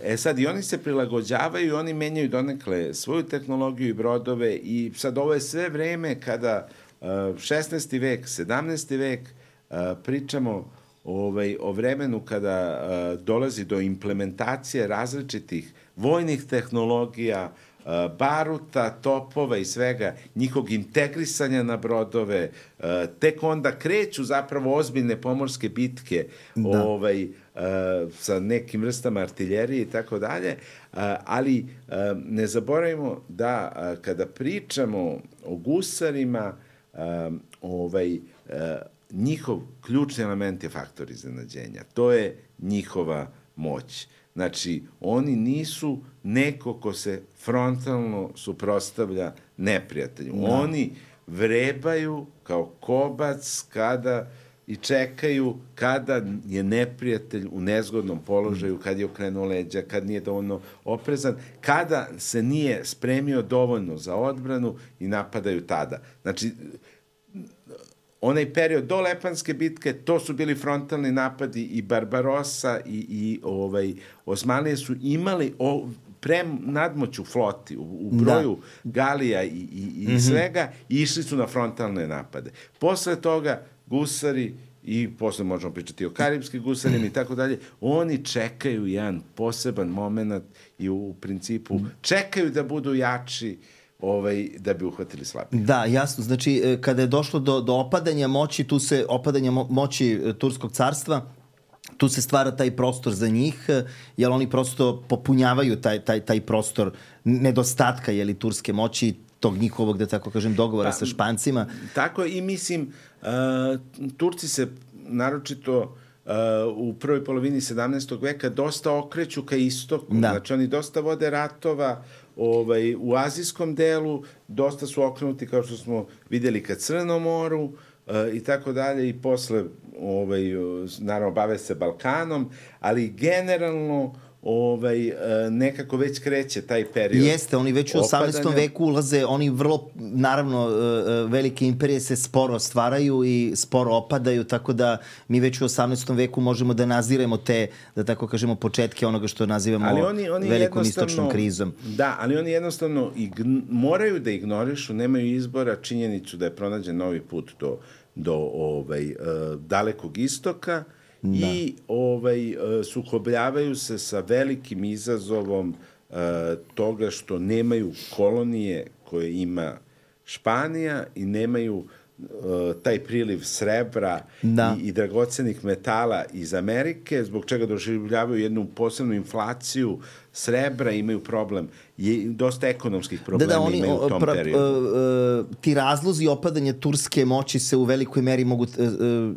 e sad, i oni se prilagođavaju i oni menjaju donekle svoju tehnologiju i brodove i sad ovo je sve vreme kada šesnaesti vek, sedamnaesti vek, pričamo ovaj, o vremenu kada dolazi do implementacije različitih vojnih tehnologija, baruta, topova i svega, njihovog integrisanja na brodove, tek onda kreću zapravo ozbiljne pomorske bitke da. ovaj, sa nekim vrstama artiljerije i tako dalje, ali ne zaboravimo da kada pričamo o gusarima, Um, ovaj, uh, njihov ključni element je faktor iznenađenja. To je njihova moć. Znači, oni nisu neko ko se frontalno suprotstavlja neprijatelju. Da. Oni vrebaju kao kobac kada i čekaju kada je neprijatelj u nezgodnom položaju, kad je okrenuo leđa, kad nije dovoljno oprezan, kada se nije spremio dovoljno za odbranu i napadaju tada. Znači, onaj period do Lepanske bitke, to su bili frontalni napadi i Barbarossa i, i ovaj, Osmanlije su imali o, prem nadmoć u floti, u, u broju da. galija i, i, i mm-hmm. svega, i išli su na frontalne napade. Posle toga gusari, i posle možemo pričati o karibskim gusarima i tako dalje, oni čekaju jedan poseban moment i u, u principu čekaju da budu jači ovaj, da bi uhvatili slabije. Da, jasno. Znači, kada je došlo do, do opadanja moći, tu se opadanja mo- moći Turskog carstva, tu se stvara taj prostor za njih, jer oni prosto popunjavaju taj, taj, taj prostor nedostatka, jeli, turske moći, tog njihovog, da tako kažem, dogovora pa, sa Špancima. Tako i mislim, uh, Turci se naročito uh, u prvoj polovini sedamnaestog veka dosta okreću ka istoku. Da. Znači, oni dosta vode ratova ovaj, u azijskom delu, dosta su okrenuti, kao što smo videli, ka Crnom moru uh, i tako dalje, i posle, ovaj, naravno, bave se Balkanom, ali generalno ovaj, nekako već kreće taj period. Jeste, oni već u osamnaestom veku ulaze, oni vrlo, naravno, velike imperije se sporo stvaraju i sporo opadaju, tako da mi već u osamnaestom veku možemo da naziremo te, da tako kažemo, početke onoga što nazivamo ali oni, oni velikom istočnom krizom. Da, ali oni jednostavno ign, moraju da ignorišu, nemaju izbora činjenicu da je pronađen novi put do, do ovaj, uh, dalekog istoka, da. I ovaj, sukobljavaju se sa velikim izazovom uh, toga što nemaju kolonije koje ima Španija i nemaju uh, taj priliv srebra da. i, i dragocenih metala iz Amerike, zbog čega doživljavaju jednu posebnu inflaciju srebra, imaju problem, je dosta ekonomskih problema da, da, oni, imaju u tom pra, periodu. Uh, uh, ti razlozi opadanja turske moći se u velikoj meri mogu uh,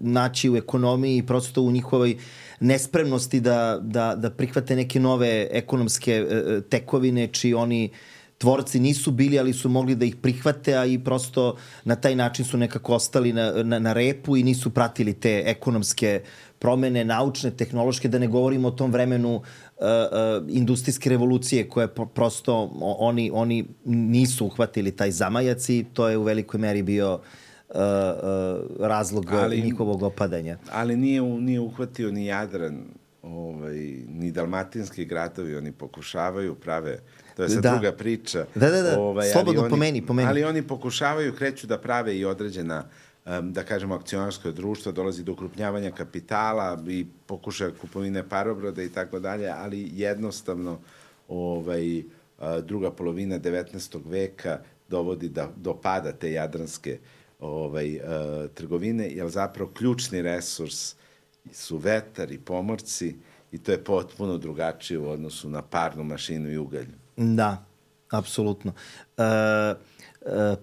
naći u ekonomiji i prosto u njihovoj nespremnosti da, da, da prihvate neke nove ekonomske uh, tekovine, čiji oni tvorci nisu bili, ali su mogli da ih prihvate, a i prosto na taj način su nekako ostali na, na, na repu i nisu pratili te ekonomske promene, naučne, tehnološke, da ne govorimo o tom vremenu uh, uh, industrijske revolucije koje prosto oni, oni nisu uhvatili taj zamajac i to je u velikoj meri bio uh, uh, razlog ali, njihovog opadanja. Ali nije, nije uhvatio ni Jadran, ovaj, ni dalmatinski gradovi, oni pokušavaju, prave, to je sad da. druga priča. Da, da, da, ovaj, slobodno oni, pomeni, pomeni. Ali oni pokušavaju, kreću da prave i određena da kažemo, akcionarsko društvo, dolazi do ukrupnjavanja kapitala i pokušaja kupovine parobroda i tako dalje, ali jednostavno ovaj, druga polovina devetnaestog veka dovodi da, do pada te jadranske ovaj, trgovine, jer zapravo ključni resurs su vetar i pomorci i to je potpuno drugačije u odnosu na parnu mašinu i ugalj. Da, apsolutno. E, e,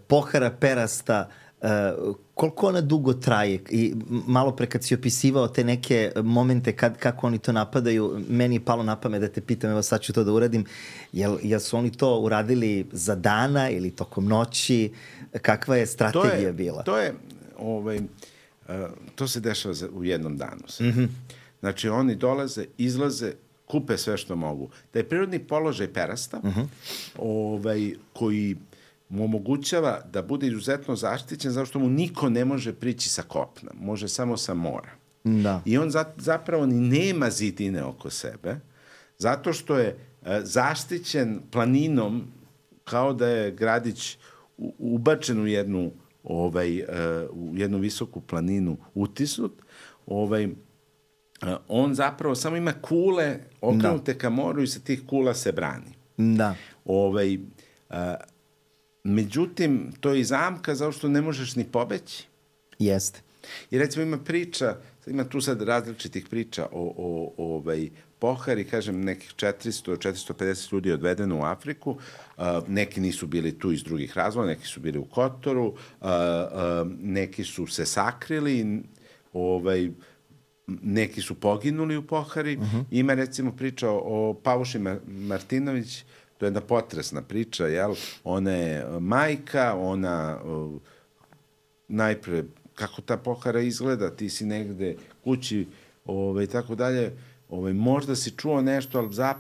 pohara perasta, Uh, koliko ona dugo traje i malo pre kad si opisivao te neke momente kad, kako oni to napadaju, meni je palo na pamet da te pitam, evo sad ću to da uradim, jel, jel su oni to uradili za dana ili tokom noći, kakva je strategija to je, bila? To je, ovaj, uh, to se dešava u jednom danu. Mm-hmm. Znači oni dolaze, izlaze, kupe sve što mogu. Da je prirodni položaj perasta, mm-hmm. ovaj, koji mu omogućava da bude izuzetno zaštićen zato što mu niko ne može prići sa kopna, može samo sa mora. Da. I on za, zapravo ni nema zidine oko sebe, zato što je e, zaštićen planinom kao da je gradić u, ubačen u jednu, ovaj, e, u jednu visoku planinu utisnut. Ovaj, e, on zapravo samo ima kule okrenute da. ka moru i sa tih kula se brani. Da. Ovaj, e, Međutim, to je i zamka zato što ne možeš ni pobeći. Jeste. I recimo ima priča, ima tu sad različitih priča o, o, o ovaj, pohari, kažem, nekih četiristo do četiristo pedeset ljudi je odvedeno u Afriku, uh, neki nisu bili tu iz drugih razloga, neki su bili u Kotoru, uh, uh, neki su se sakrili, ovaj, neki su poginuli u pohari. Uh-huh. Ima recimo priča o, o Pavuši Martinović, to je jedna potresna priča, jel? Ona je majka, ona uh, najpre, kako ta pohara izgleda, ti si negde kući, ovaj, tako dalje, ovaj, možda si čuo nešto, ali zap,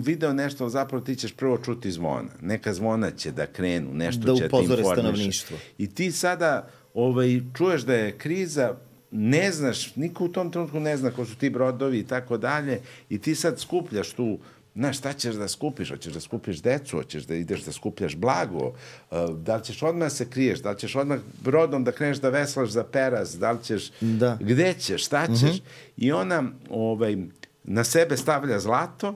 video nešto, ali zapravo ti ćeš prvo čuti zvona. Neka zvona će da krenu, nešto da će ti informiš. I ti sada ovaj, čuješ da je kriza, ne znaš, niko u tom trenutku ne zna ko su ti brodovi i tako dalje, i ti sad skupljaš tu. Znaš, šta ćeš da skupiš? Hoćeš da skupiš decu, hoćeš da ideš da skupljaš blago, da li ćeš odmah se kriješ, da li ćeš odmah brodom da kreneš da veslaš za peras, da li ćeš, da. Gde ćeš, šta ćeš? Mm-hmm. I ona ovaj, na sebe stavlja zlato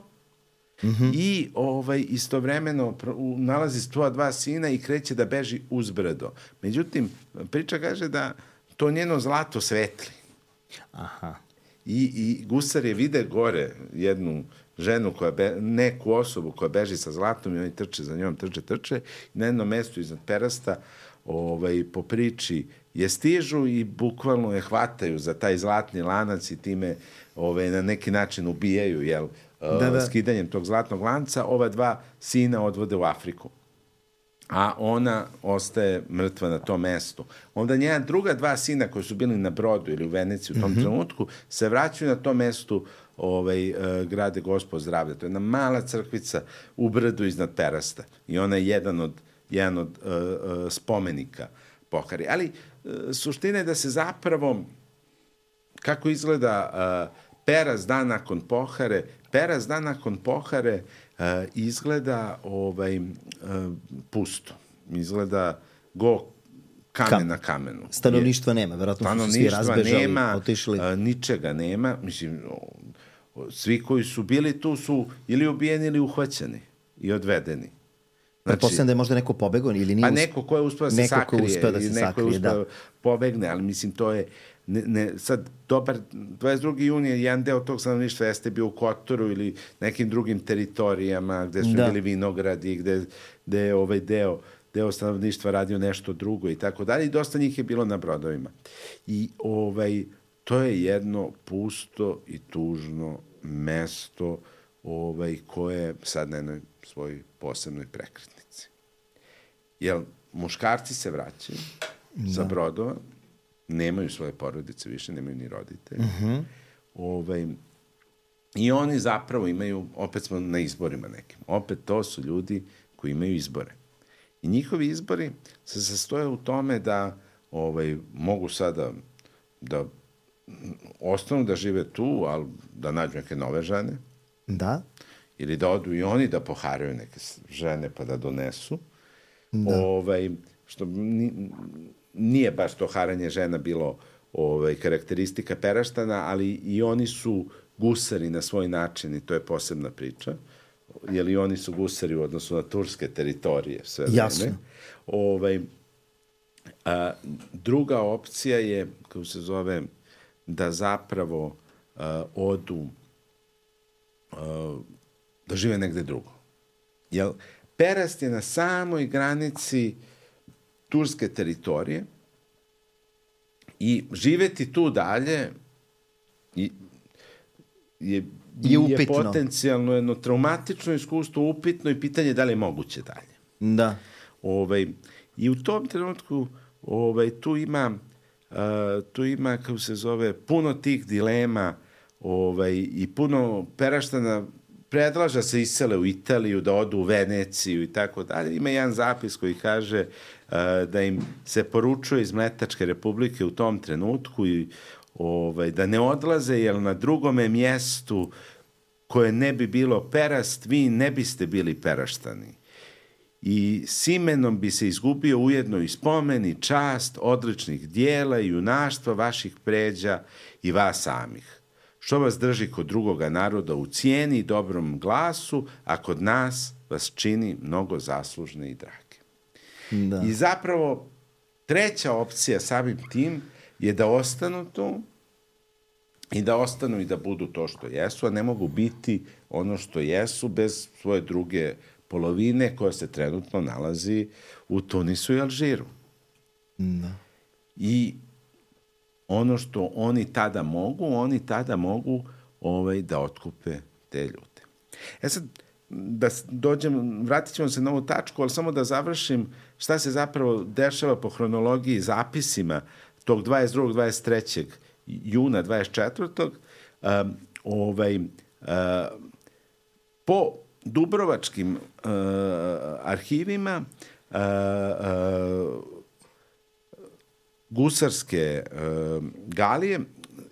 mm-hmm. i ovaj, istovremeno nalazi svoja dva sina i kreće da beži uz brdo. Međutim, priča kaže da to njeno zlato svetli. Aha. I, i gusari vide gore jednu ženu, koja be, neku osobu koja beži sa zlatom i oni trče za njom, trče, trče. I na jednom mestu iznad perasta ovaj, po priči je stižu i bukvalno je hvataju za taj zlatni lanac i time ovaj, na neki način ubijaju, jel, da, da. skidanjem tog zlatnog lanca. Ova dva sina odvode u Afriku, a ona ostaje mrtva na tom mestu. Onda njena druga dva sina koji su bili na brodu ili u Veneciji u tom mm-hmm. trenutku se vraćaju na tom mestu ovaj, grade Gospod zdravlja. To je jedna mala crkvica u brdu iznad Perasta. I ona je jedan od, jedan od uh, uh, spomenika Pohari. Ali uh, suština je da se zapravo, kako izgleda uh, Perast dan nakon Pohare, Perast dan nakon Pohare uh, izgleda ovaj, uh, pusto. Izgleda go kamen Kam. na kamenu. Stanovništva nema, verovatno su svi razbežali, nema, otišli. A, ničega nema. Mislim, svi koji su bili tu su ili ubijeni ili uhvaćeni i odvedeni. Znači, pretpostavljam da je možda neko pobegao ili nije... Pa neko ko je uspeo da se neko sakrije. Neko uspeo da se neko sakrije, je uspeo da. pobegne, ali mislim to je... Ne, ne, sad, dobar, dvadeset drugi jun je jedan deo tog stanovništva jeste bio u Kotoru ili nekim drugim teritorijama gde su da. bili vinogradi, gde, gde je ovaj deo, deo stanovništva radio nešto drugo i tako dalje. I dosta njih je bilo na brodovima. I ovaj, to je jedno pusto i tužno mesto ovaj, koje je sad na jednoj svojoj posebnoj prekretnici. Jer muškarci se vraćaju da. sa brodova, nemaju svoje porodice više, nemaju ni roditelje. Uh-huh. Ovaj, I oni zapravo imaju, opet smo na izborima nekim, opet to su ljudi koji imaju izbore. I njihovi izbori se sastoje u tome da ovaj, mogu sada da ostanu da žive tu, ali da nađu neke nove žene. Da. Ili da odu i oni da poharaju neke žene pa da donesu. Da. Ovaj, što nije baš to haranje žena bilo ovaj, karakteristika Peraštana, ali i oni su gusari na svoj način i to je posebna priča. Jer i oni su gusari u odnosu na turske teritorije. Sve Jasno. Vreme. Ovaj, a, druga opcija je, kako se zove, da zapravo a, odu a, da žive negde drugo. Jer Perast je na samoj granici turske teritorije i živeti tu dalje i, je, je, je potencijalno jedno traumatično iskustvo, upitno i pitanje da li je moguće dalje. Da. Ovaj, I u tom trenutku ovaj, tu ima, uh, tu ima, kako se zove, puno tih dilema ovaj, i puno Peraštana predlaža se isele u Italiju, da odu u Veneciju i tako dalje. Ima jedan zapis koji kaže uh, da im se poručuje iz Mletačke republike u tom trenutku i ovaj, da ne odlaze, jer na drugome mjestu koje ne bi bilo Perast, vi ne biste bili Peraštani. I s imenom bi se izgubio ujedno i spomen i čast odličnih dijela i junaštva vaših pređa i vas samih. Što vas drži kod drugoga naroda u cijeni i dobrom glasu, a kod nas vas čini mnogo zaslužne i drage. Da. I zapravo treća opcija samim tim je da ostanu tu i da ostanu i da budu to što jesu, a ne mogu biti ono što jesu bez svoje druge polovine koja se trenutno nalazi u Tunisu i Alžiru. Da. I ono što oni tada mogu, oni tada mogu ovaj, da otkupe te ljude. E sad, da dođem, vratit ćemo se na ovu tačku, ali samo da završim šta se zapravo dešava po hronologiji zapisima tog dvadeset drugog dvadeset trećeg juna dvadeset četvrtog Um, ovaj, uh, po dubrovačkim uh, arhivima uh, uh, gusarske uh, galije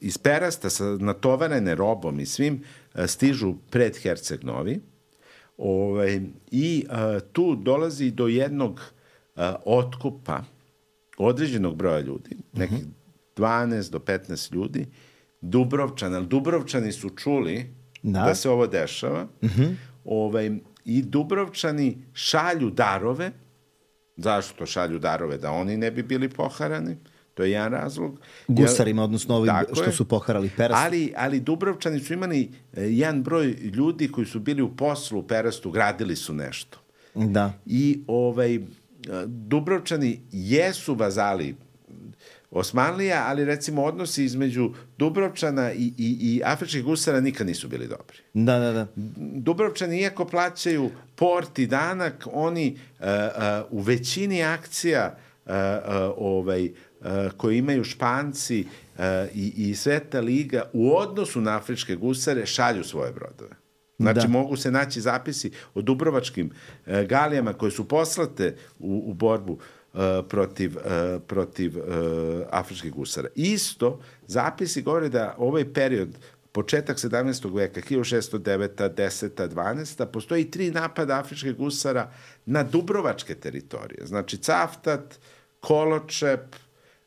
iz Perasta sa natovarene robom i svim uh, stižu pred Herceg Novi ovaj, i uh, tu dolazi do jednog uh, otkupa određenog broja ljudi, nekih dvanaest do petnaest ljudi, Dubrovčani, ali Dubrovčani su čuli da, da se ovo dešava uh-huh. ovaj, i Dubrovčani šalju darove. Zašto šalju darove? Da oni ne bi bili poharani. To je jedan razlog. Gusarima, odnosno ovim što je. Su poharali Perast. Ali, ali Dubrovčani su imali jedan broj ljudi koji su bili u poslu u Perastu, gradili su nešto. Da. I ovaj, Dubrovčani jesu vazali Osmanlija, ali recimo odnosi između Dubrovčana i, i, i afričkih gusara nikad nisu bili dobri. Da, da, da. Dubrovčani, iako plaćaju port i danak, oni uh, uh, u većini akcija uh, uh, ovaj, uh, koje imaju Španci i, i Sveta liga u odnosu na afričke gusare šalju svoje brodove. Znači, da. Mogu se naći zapisi o dubrovačkim e, galijama koje su poslate u, u borbu e, protiv, e, protiv e, afričkih gusara. Isto, zapisi govore da ovaj period, početak sedamnaestog veka, hiljadu šessto deveta, deseta, dvanaesta, postoji tri napada afričkih gusara na dubrovačke teritorije. Znači, Cavtat, Koločep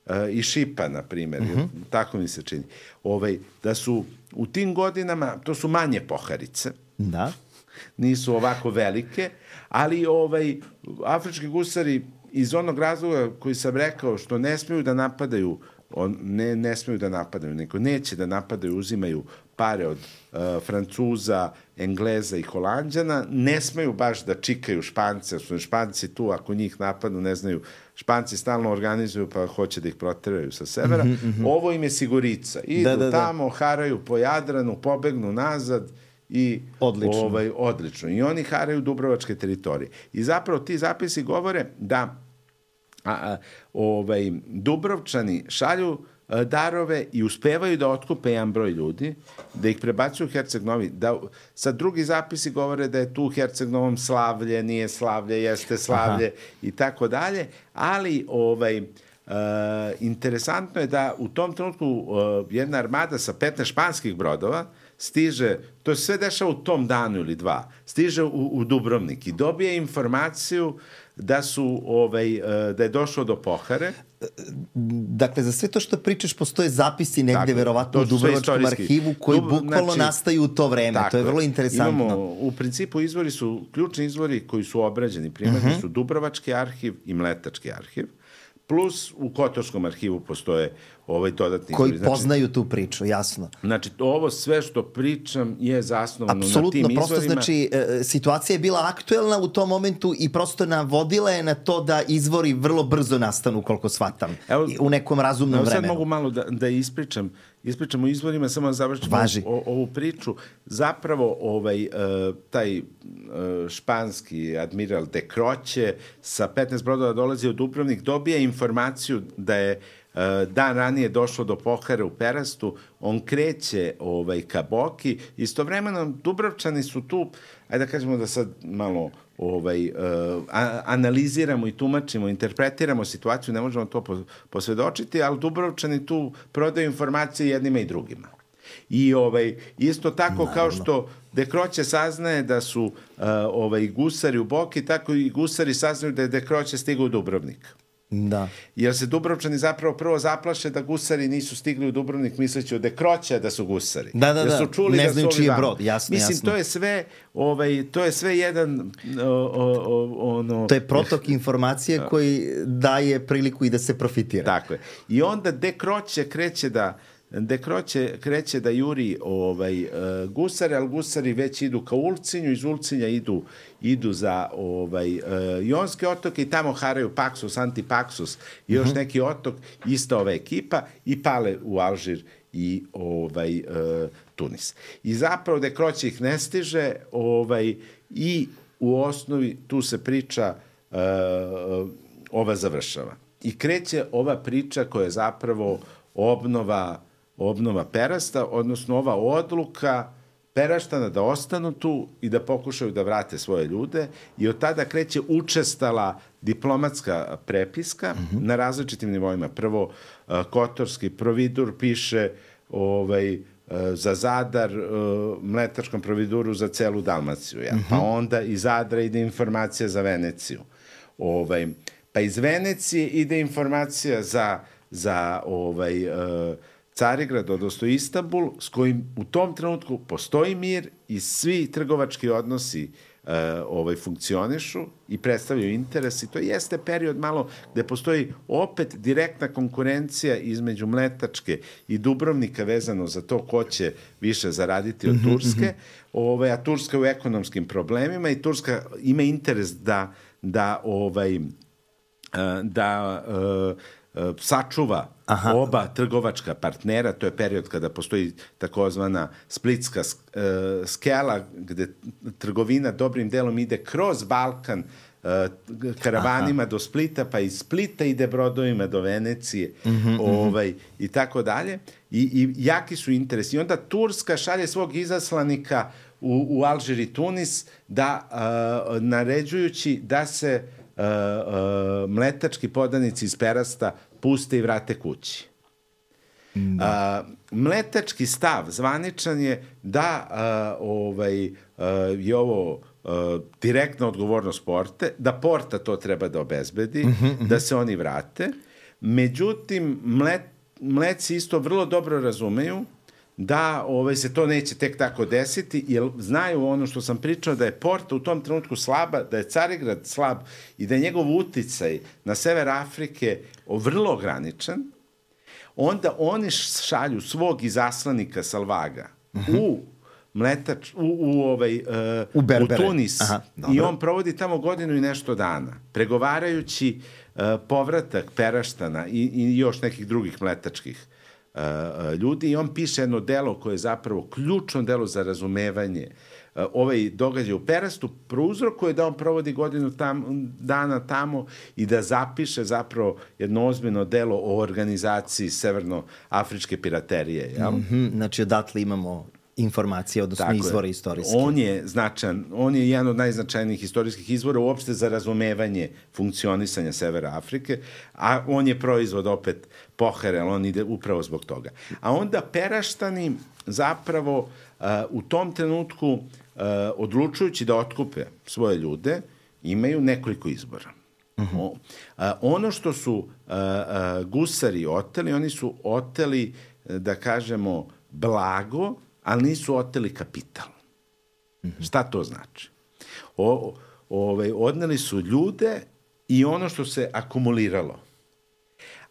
uh, i Šipa, na primjer. Uh-huh. Tako mi se čini. Ovaj, da su u tim godinama, to su manje poharice. Da. Nisu ovako velike, ali ovaj, afrički gusari iz onog razloga koji sam rekao, što ne smiju da napadaju On, ne, ne smiju da napadaju, nego neće da napadaju, uzimaju pare od uh, Francuza, Engleza i Holanđana, ne smiju baš da čikaju Špance, su Španci tu, ako njih napadnu, ne znaju, Španci stalno organizuju pa hoće da ih proteraju sa severa. Mm-hmm, mm-hmm. Ovo im je sigurica. Idu da, da, tamo, da. haraju po Jadranu, pobegnu nazad i odlično. Ovaj, odlično. I oni haraju dubrovačke teritorije. I zapravo ti zapisi govore da A, a, ovaj, Dubrovčani šalju a, darove i uspevaju da otkupe jedan broj ljudi, da ih prebacuju u Herceg Novi. Da, sad drugi zapisi govore da je tu u Herceg Novom slavlje, nije slavlje, jeste slavlje. Aha. I tako dalje, ali ovaj, a, interesantno je da u tom trenutku a, jedna armada sa petnaest španskih brodova stiže, to se sve dešava u tom danu ili dva, stiže u, u Dubrovnik i dobije informaciju da su ovaj da je došlo do pohare. Dakle, za sve to što pričaš postoje zapisi negde tako, verovatno u Dubrovačkom arhivu koji Dub, bukvalno znači, nastaju u to vreme. Tako, to je vrlo interesantno. Imamo, u principu izvori su, ključni izvori koji su obrađeni, primarni uh-huh. su Dubrovački arhiv i Mletački arhiv. Plus u Kotorskom arhivu postoje ovaj dodatni koji izvori. Koji poznaju tu priču, jasno. Znači, ovo sve što pričam je zasnovano apsolutno, na tim izvorima. Apsolutno, prosto znači, e, situacija je bila aktuelna u tom momentu i prosto navodila je na to da izvori vrlo brzo nastanu, koliko shvatam, evo, u nekom razumnom evo, vremenu. Sad mogu malo da, da ispričam, ispričam o izvorima, samo da završim o, ovu priču. Zapravo, ovaj, uh, taj uh, španski admiral de Croce sa petnaest brodova dolazi u Dubrovnik, dobije informaciju da je dan ranije došlo do pohare u Perastu, on kreće ovaj, ka Boki, istovremeno Dubrovčani su tu, ajde da kažemo da sad malo ovaj, uh, a, analiziramo i tumačimo, interpretiramo situaciju, ne možemo to posvedočiti, ali Dubrovčani tu prodaju informacije jednima i drugima. I ovaj, isto tako Naravno. Kao što de Croce saznaje da su uh, ovaj, gusari u Boki, tako i gusari saznaju da je de Croce stigao u Dubrovnik. Da. Jer se Dubrovčani zapravo prvo zaplaše da gusari nisu stigli u Dubrovnik misleći od de Croce da su gusari. Da, da, da. Su čuli ne da znaju čiji je brod, jasno, Mislim, jasno. to je sve, ovaj, to je sve jedan o, o, ono... To je protok informacije koji daje priliku i da se profitira. Tako je. I onda de Croce kreće da De Croce kreće da juri ovaj, uh, gusare, ali gusari već idu ka Ulcinju, iz Ulcinja idu, idu za ovaj, uh, Jonske otoke i tamo haraju Paksus, Antipaksus i još uh-huh. neki otok, ista ova ekipa i pale u Alžir i ovaj, uh, Tunis. I zapravo De Croce ih ne stiže ovaj, i u osnovi tu se priča uh, ova završava. I kreće ova priča koja je zapravo obnova obnova Perasta, odnosno ova odluka Peraštana da ostanu tu i da pokušaju da vrate svoje ljude i od tada kreće učestala diplomatska prepiska mm-hmm. na različitim nivoima. Prvo, uh, Kotorski providur piše ovaj, uh, za Zadar, uh, Mletačkom providuru za celu Dalmaciju. Ja. Mm-hmm. Pa onda iz Zadra ide informacija za Veneciju. Ovaj, pa iz Venecije ide informacija za, za ovaj... Uh, Carigrad, odnosno Istanbul, s kojim u tom trenutku postoji mir i svi trgovački odnosi uh, ovaj, funkcionišu i predstavljaju interes. I to jeste period malo gde postoji opet direktna konkurencija između Mletačke i Dubrovnika vezano za to ko će više zaraditi od Turske, mm-hmm. ovaj, a Turska u ekonomskim problemima i Turska ima interes da, da, ovaj, uh, da uh, sačuva Aha. oba trgovačka partnera, to je period kada postoji takozvana splitska skela, gde trgovina dobrim delom ide kroz Balkan karavanima Aha. do Splita, pa iz Splita ide brodovima do Venecije, mm-hmm, ovaj, i tako dalje. I, i jaki su interesi. I onda Turska šalje svog izaslanika u, u Alžir i Tunis da, uh, naređujući da se uh, uh, mletački podanici iz Perasta puste i vrate kući. Da. Uh, mletački stav zvaničan je da uh, ovaj, uh, je ovo uh, direktna odgovornost Porte, da Porta to treba da obezbedi, mm-hmm, da se oni vrate. Međutim, mlet, mleci isto vrlo dobro razumeju da ovaj, se to neće tek tako desiti, jer znaju ono što sam pričao, da je Porta u tom trenutku slaba, da je Carigrad slab i da je njegov uticaj na sever Afrike vrlo ograničen. Onda oni šalju svog izaslanika Salvaga uh-huh. u mletač, u, u, ovaj, uh, u, u Tunis. Aha, i on provodi tamo godinu i nešto dana, pregovarajući uh, povratak Peraštana i, i još nekih drugih mletačkih uh, ljudi. I on piše jedno delo koje je zapravo ključno delo za razumevanje uh, ovaj događaj u Perastu, prouzrokuje da on provodi godinu tam, dana tamo i da zapiše zapravo jedno ozbiljno delo o organizaciji severnoafričke piraterije. Jel? Mm-hmm, znači odatle imamo informacije, odnosno tako izvore je. Istorijske. On je značajan, on je jedan od najznačajnijih istorijskih izvora uopšte za razumevanje funkcionisanja Severa Afrike, a on je proizvod opet Pohare, ali on ide upravo zbog toga. A onda Peraštani zapravo uh, u tom trenutku uh, odlučujući da otkupe svoje ljude, imaju nekoliko izbora. Uh-huh. O, a, ono što su a, a, gusari oteli, oni su oteli, da kažemo, blago, ali nisu oteli kapital. Uh-huh. Šta to znači? O, ovaj, odneli su ljude i ono što se akumuliralo.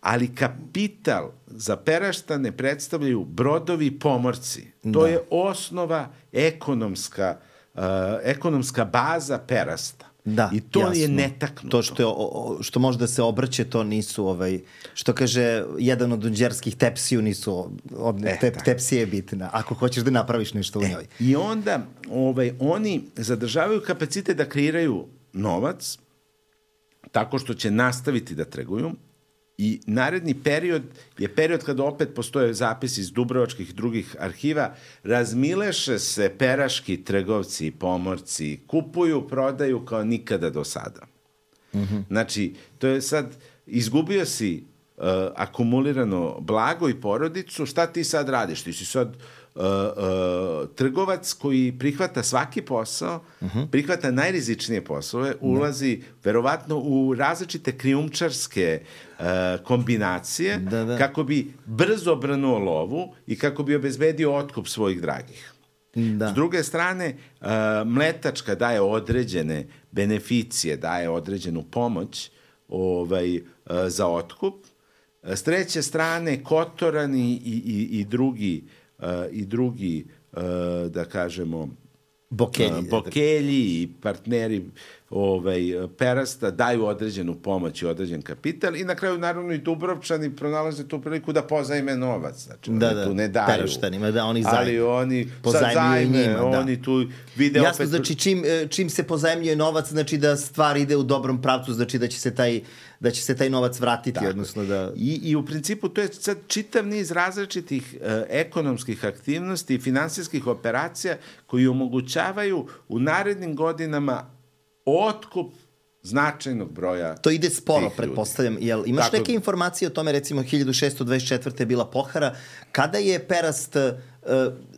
Ali kapital za Peraštane predstavljaju brodovi i pomorci. To da. Je osnova ekonomska, uh, ekonomska baza Perasta. Da, i to jasno. Je netaknuto. To što, je, o, što može da se obrće, to nisu, ovaj, što kaže jedan od unđerskih tepsiju, nisu, od, e, te, tepsija je bitna, ako hoćeš da napraviš nešto u njoj. E, I onda ovaj, oni zadržavaju kapacitet da kreiraju novac, tako što će nastaviti da trguju, i naredni period je period kada opet postoje zapisi iz dubrovačkih i drugih arhiva, razmileše se peraški trgovci i pomorci, kupuju, prodaju kao nikada do sada. Mm-hmm. Znači, to je sad, izgubio si uh, akumulirano blago i porodicu, šta ti sad radiš? Ti si sad uh, uh, trgovac koji prihvata svaki posao, uh-huh. prihvata najrizičnije poslove, ulazi da. Verovatno u različite krijumčarske uh, kombinacije da, da. Kako bi brzo brnuo lovu i kako bi obezbedio otkup svojih dragih. Da. S druge strane, uh, mletačka daje određene beneficije, daje određenu pomoć ovaj, uh, za otkup. S treće strane, Kotorani i, i, i drugi, uh, i drugi uh, da kažemo, Bokelji, uh, Bokelji i partneri ovaj, Perasta daju određenu pomoć i određen kapital i na kraju naravno i Dubrovčani pronalaze tu priliku da pozajme novac. Znači, da, oni da, tu ne daju. Peraštanima, da, oni zajme. Ali oni sad zajme, njima, oni da. Tu vide jasno, opet... znači čim, čim se pozajmljuje novac, znači da stvar ide u dobrom pravcu, znači da će se taj, da će se taj novac vratiti. Tako. Odnosno da... I, I u principu to je sad čitav niz različitih uh, ekonomskih aktivnosti i finansijskih operacija koji omogućavaju u narednim godinama otkup značajnog broja. To ide sporo, pretpostavljam. Jel, imaš tako, neke informacije o tome, recimo hiljadu šeststo dvadeset četvrte je bila pohara. Kada je Perast uh,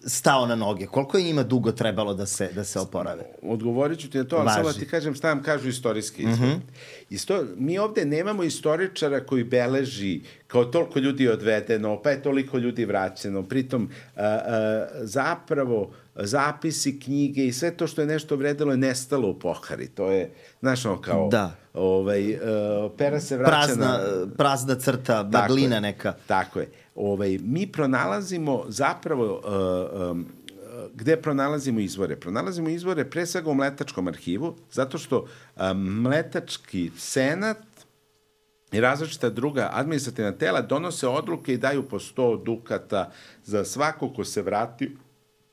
stao na noge? Koliko je njima dugo trebalo da se, da se oporave? Odgovorit ću ti na to, ali samo ti kažem šta vam kažu istorijski izvor. Mm-hmm. Isto, mi ovde nemamo istoričara koji beleži kao toliko ljudi odvedeno, pa je toliko ljudi vraćeno. Pritom, uh, uh, zapravo, zapisi, knjige i sve to što je nešto vredelo je nestalo u pohari. To je, znaš, ono kao... Da. Ovaj, uh, pera se vraća prazna, na... Prazna crta, baglina neka. Tako je. Ovaj, mi pronalazimo zapravo... Uh, um, gde pronalazimo izvore? Pronalazimo izvore pre svega u Mletačkom arhivu, zato što um, Mletački senat i različita druga administrativna tela donose odluke i daju po sto dukata za svako ko se vrati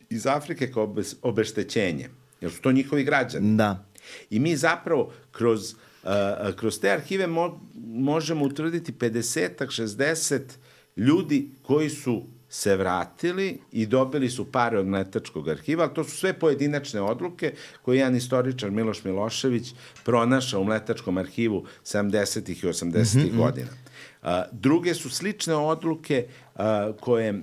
iz Afrike kao obeštećenje. Jer su to njihovi građani. Da. I mi zapravo kroz, uh, kroz te arhive mo, možemo utvrditi pedeset, šezdeset ljudi koji su se vratili i dobili su pare od Mletačkog arhiva, ali to su sve pojedinačne odluke koje je jedan istoričar Miloš Milošević pronašao u Mletačkom arhivu sedamdesetih i osamdesetih mm-hmm. godina. Uh, druge su slične odluke uh, koje, uh,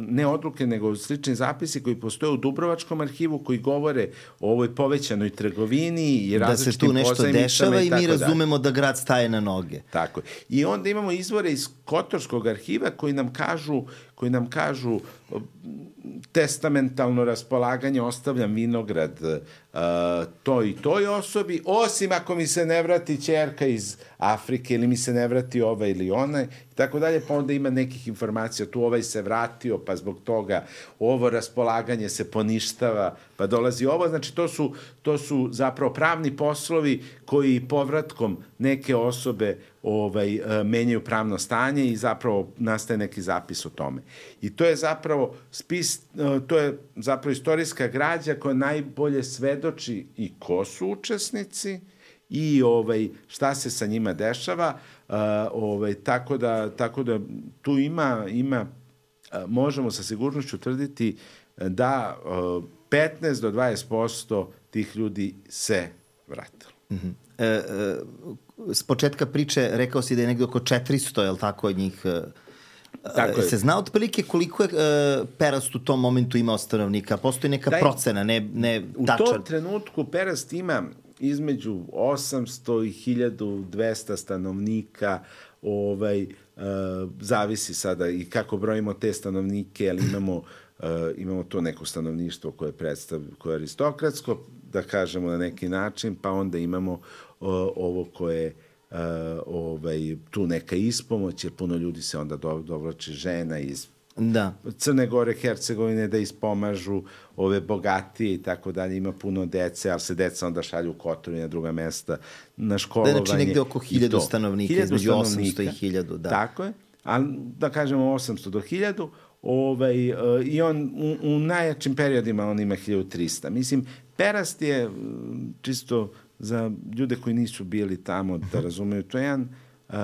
ne odluke, nego slični zapisi koji postoje u Dubrovačkom arhivu koji govore o ovoj povećanoj trgovini i različitim pozajmicama. Da se tu nešto dešava i mi razumemo da grad staje na noge. Tako je. I onda imamo izvore iz Kotorskog arhiva koji nam kažu, koji nam kažu testamentalno raspolaganje, ostavljam vinograd uh, toj i toj osobi, osim ako mi se ne vrati ćerka iz Afrike ili mi se ne vrati ova ili ona i tako dalje, pa onda ima nekih informacija, tu ovaj se vratio, pa zbog toga ovo raspolaganje se poništava, pa dolazi ovo, znači to su, to su zapravo pravni poslovi koji povratkom neke osobe ovaj, menjaju pravno stanje i zapravo nastaje neki zapis o tome. I to je zapravo spis, to je zapravo istorijska građa koja najbolje svedoči i ko su učesnici i ovaj, šta se sa njima dešava, uh, ovaj, tako, da, tako da tu ima, ima uh, možemo sa sigurnošću tvrditi da uh, petnaest do dvadeset posto tih ljudi se vratilo. Mm-hmm. E, e, s početka priče rekao si da je negde oko četiristo, je li tako, njih... Tako se zna otprilike koliko je uh, Perast u tom momentu imao stanovnika? Postoji neka Daj, procena, ne, ne tačan? U tom trenutku Perast ima između osamsto i hiljadu dvesta stanovnika, ovaj, uh, zavisi sada i kako brojimo te stanovnike, ali imamo, uh, imamo to neko stanovništvo koje, predstav, koje je aristokratsko, da kažemo na neki način, pa onda imamo uh, ovo koje Uh, ovaj, tu neka ispomoć, jer puno ljudi se onda do, dovlače žena iz da. Crne Gore, Hercegovine da ispomažu ove bogatije i tako dalje, ima puno dece, ali se deca onda šalju u Kotor i na druga mesta na školovanje. Da, znači negde oko hiljadu stanovnika, između osamsto i hiljadu. Da. Tako je, ali da kažemo osamsto do hiljadu, ovaj, uh, i on u, u najjačim periodima on ima hiljadu trista. Mislim, Perast je čisto za ljude koji nisu bili tamo da razumeju, to je jedan, uh,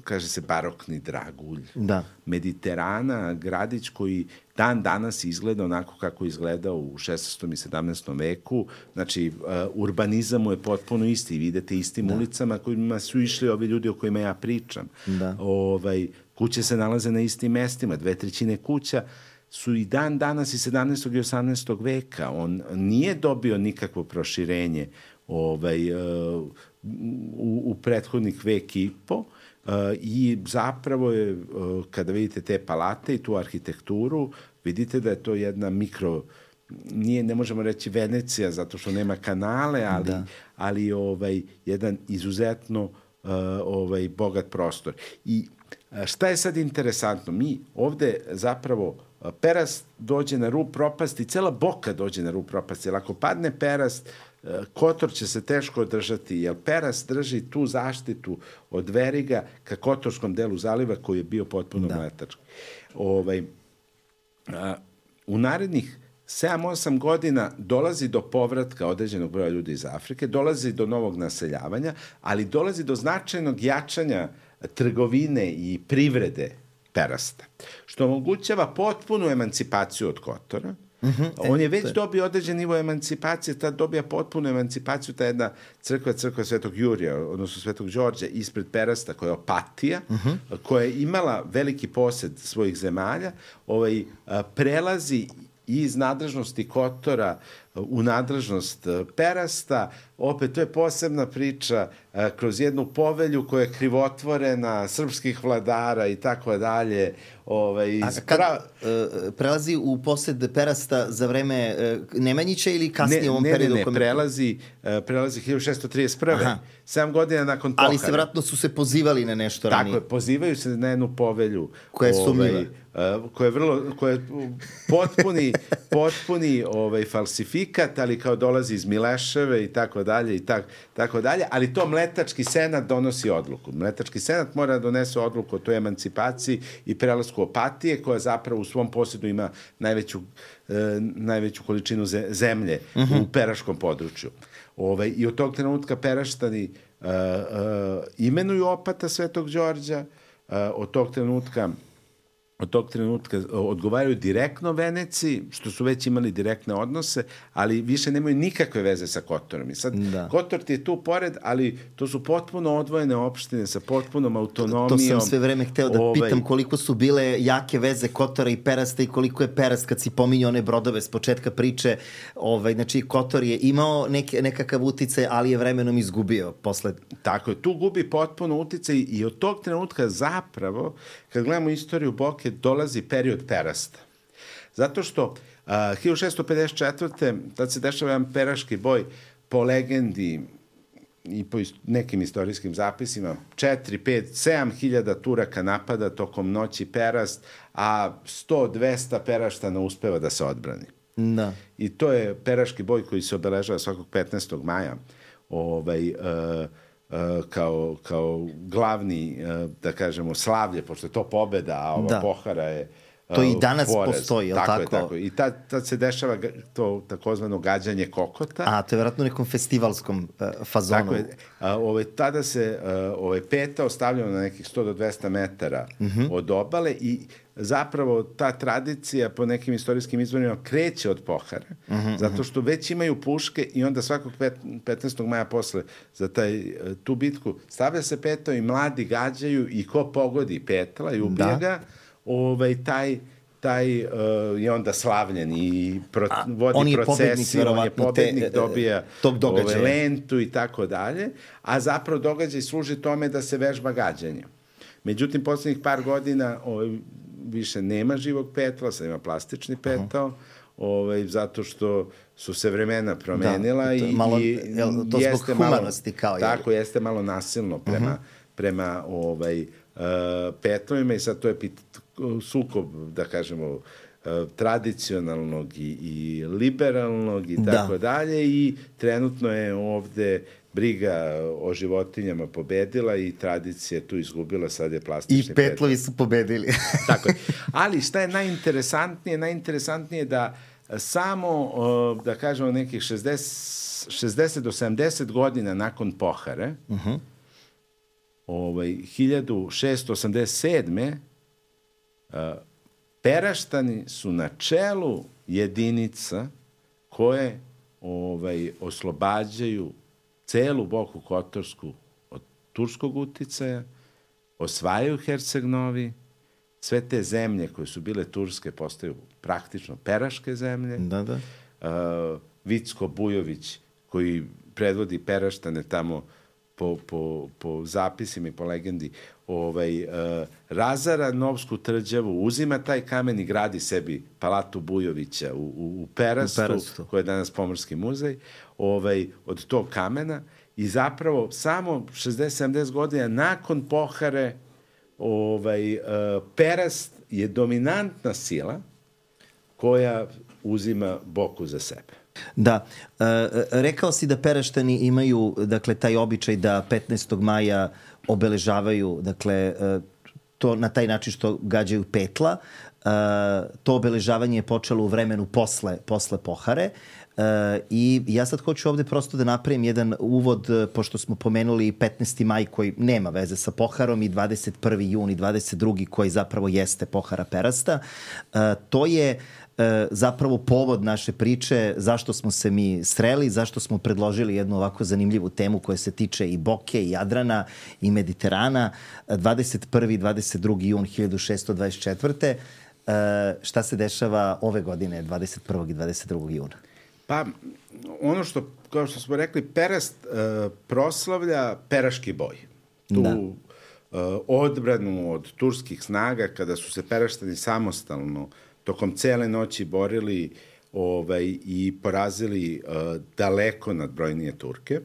kaže se, barokni dragulj da. Mediterana, gradić koji dan danas izgleda onako kako izgleda u šesnaestom i sedamnaestom veku. Znači, uh, urbanizam mu je potpuno isti. Vidite istim da. Ulicama kojima su išli ovi ljudi o kojima ja pričam. Da. Ovaj, kuće se nalaze na istim mestima, dve trećine kuća su i dan danas i sedamnaestog i osamnaestog veka. On nije dobio nikakvo proširenje ovaj, uh, u, u prethodnih vek i po uh, i zapravo je, uh, kada vidite te palate i tu arhitekturu, vidite da je to jedna mikro, nije, ne možemo reći Venecija zato što nema kanale, ali, ali ovaj, jedan izuzetno uh, ovaj, bogat prostor. I uh, šta je sad interesantno? Mi ovde zapravo Perast dođe na rub propasti, cela Boka dođe na rub propasti, jer ako padne Perast, Kotor će se teško održati, jer Perast drži tu zaštitu od Veriga ka kotorskom delu zaliva koji je bio potpuno da. Mletački. Ovaj, a, u narednih sedam osam godina dolazi do povratka određenog broja ljudi iz Afrike, dolazi do novog naseljavanja, ali dolazi do značajnog jačanja trgovine i privrede Perasta, što omogućava potpunu emancipaciju od Kotora. Mm-hmm. On je već dobio određen nivo emancipacije, tad dobija potpunu emancipaciju, ta jedna crkva, crkva Svetog Jurija, odnosno Svetog Đorđa, ispred Perasta, koja je Opatija, mm-hmm. koja je imala veliki posed svojih zemalja, ovaj, prelazi iz nadležnosti Kotora u nadležnost Perasta. Opet, to je posebna priča kroz jednu povelju koja je krivotvorena srpskih vladara i tako dalje. Ovaj, A kad pra... prelazi u posed Perasta za vreme Nemanjića ili kasnije ne, u ovom ne, periodu? Ne, ne, ne, prelazi, prelazi hiljadu šesto trideset prve. Aha. sedam godina nakon pohara. Ali se vratno su se pozivali na nešto ranije. Tako je, pozivaju se na jednu povelju. Koja je sumnjiva. Ovaj, koja je vrlo, koja je potpuni, potpuni ovaj, falsifikat sindikat, ali kao dolazi iz Mileševe i tako dalje i tak, tako dalje, ali to Mletački senat donosi odluku. Mletački senat mora da donese odluku o toj emancipaciji i prelasku Opatije, koja zapravo u svom posjedu ima najveću, e, najveću količinu zemlje uh-huh. u peraškom području. Ove, I od tog trenutka Peraštani uh, uh, imenuju opata Svetog Đorđa, uh, od tog trenutka od tog trenutka odgovaraju direktno Veneciji, što su već imali direktne odnose, ali više nemaju nikakve veze sa Kotorom. I sad, da. Kotor ti je tu pored, ali to su potpuno odvojene opštine sa potpunom autonomijom. To, to sam sve vreme hteo da ovaj... pitam koliko su bile jake veze Kotora i Perasta i koliko je Perast, kad si pominjao one brodove s početka priče, ovaj, znači Kotor je imao neke, nekakav uticaj, ali je vremenom izgubio posle. Tako je, tu gubi potpuno uticaj i od tog trenutka zapravo, kad gledamo istoriju Boke, dolazi period Perasta. Zato što uh, hiljadu šeststo pedeset četvrte tad se dešava jedan peraški boj, po legendi i po ist- nekim istorijskim zapisima, četiri, pet, sedam hiljada Turaka napada tokom noći Perast, a sto do dvesta Peraštana uspeva da se odbrani. Da. I to je peraški boj koji se obeležava svakog petnaestog maja. Ovaj... Uh, kao, kao glavni, da kažemo, slavlje, pošto je to pobeda, a ova da. pohara je to i danas porez. Postoji, je li tako? tako? Je, tako. I tad, tad se dešava to takozvano gađanje kokota. A, to je vjerojatno u nekom festivalskom uh, fazonu. Tako je. A, ove, tada se uh, ove, peta ostavljamo na nekih sto do dvesta metara uh-huh. od obale i zapravo ta tradicija po nekim istorijskim izvorima kreće od pohare, uh-huh, zato što već imaju puške i onda svakog petnaestog maja posle za taj, tu bitku stavlja se peto i mladi gađaju i ko pogodi petla i ubije da. ga, ovaj, taj taj uh, je onda slavljen i pro, A, vodi procesiju, on je pobednik, te, dobija ove, lentu i tako dalje, a zapravo događaj služi tome da se vežba gađanje. Međutim, poslednjih par godina ovaj, više nema živog petla, sad ima plastični petao, uh-huh. ovaj, zato što su se vremena promenila da, to, i, malo, i jel, to jeste zbog humanosti malo, kao je. Tako, jeste malo nasilno prema, uh-huh. prema ovaj, uh, petlovima i sad to je pit, sukob, da kažemo, uh, tradicionalnog i, i liberalnog i tako da. dalje i trenutno je ovde briga o životinjama pobedila i tradicija tu izgubila, sad je plastični I petlovi su pobedili. Tako je. Ali šta je najinteresantnije? Najinteresantnije je da samo, da kažemo, nekih šezdeset do sedamdeset godina nakon pohare, uh-huh. ovaj, hiljadu šeststo osamdeset sedme Peraštani su na čelu jedinica koje ovaj, oslobađaju celu Boku Kotorsku od turskog uticaja, osvajaju Herceg-Novi, sve te zemlje koje su bile turske postaju praktično peraške zemlje. Da, da. Uh, Vicko Bujović, koji predvodi Peraštane tamo po, po, po zapisima i po legendi, ovaj, uh, razara Novsku tvrđavu, uzima taj kamen i gradi sebi palatu Bujovića u, u, u Perastu, u Perastu, koja je danas Pomorski muzej, ovaj, od tog kamena i zapravo samo šezdeset sedamdeset godina nakon pohare ovaj, uh, Perast je dominantna sila koja uzima Boku za sebe. Da, e, rekao si da Peraštani imaju, dakle, taj običaj da petnaestog maja obeležavaju, dakle, to na taj način što gađaju petla. E, to obeležavanje je počelo u vremenu posle, posle pohare. Uh, i ja sad hoću ovde prosto da napravim jedan uvod, pošto smo pomenuli petnaesti maj koji nema veze sa poharom i dvadeset prvi jun i dvadeset drugi koji zapravo jeste pohara Perasta. Uh, to je uh, zapravo povod naše priče zašto smo se mi sreli, zašto smo predložili jednu ovako zanimljivu temu koja se tiče i Boke, i Jadrana, i Mediterana. dvadeset prvi i dvadeset drugi jun hiljadu šeststo dvadeset četvrte. Uh, šta se dešava ove godine, dvadeset prvog i dvadeset drugog juna? Pa, ono što, kao što smo rekli, Perast uh, proslavlja peraški boj. Tu da. uh, odbranu od turskih snaga, kada su se Peraštani samostalno tokom cele noći borili ovaj, i porazili uh, daleko nadbrojnije Turke,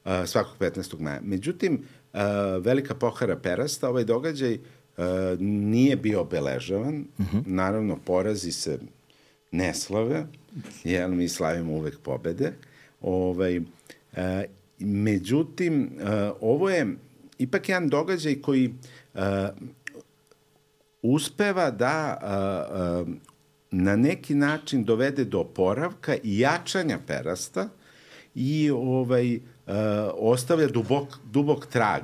uh, svakog petnaestog maja. Međutim, uh, velika pohara Perasta, ovaj događaj uh, nije bio obeležavan. Uh-huh. Naravno, porazi se ne slave, jer mi slavimo uvek pobede. Ovaj, e, međutim, e, ovo je ipak jedan događaj koji e, uspeva da e, e, na neki način dovede do oporavka i jačanja perasta i ovaj, e, ostavlja dubok, dubok trag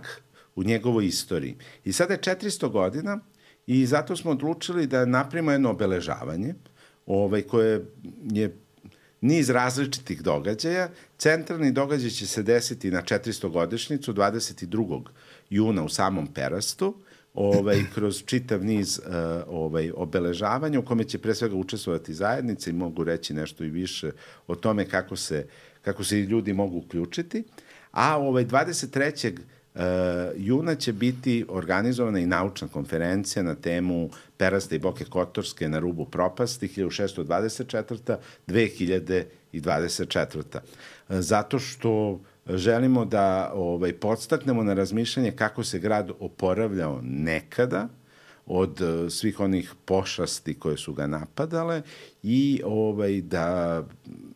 u njegovoj istoriji. I sada je četiristo godina i zato smo odlučili da napravimo jedno obeležavanje ovaj, koje je niz različitih događaja. Centralni događaj će se desiti na četiristogodišnjicu, dvadeset drugog juna u samom Perastu, ovaj, kroz čitav niz uh, ovaj, obeležavanja u kome će pre svega učestvovati zajednice i mogu reći nešto i više o tome kako se, kako se i ljudi mogu uključiti. A ovaj, dvadeset trećeg juna će biti organizovana i naučna konferencija na temu Perasta i Boke Kotorske na rubu propasti hiljadu šeststo dvadeset četvrta do dve hiljade dvadeset četvrta Zato što želimo da ovaj, podstaknemo na razmišljanje kako se grad oporavljao nekada od svih onih pošasti koje su ga napadale i ovaj, da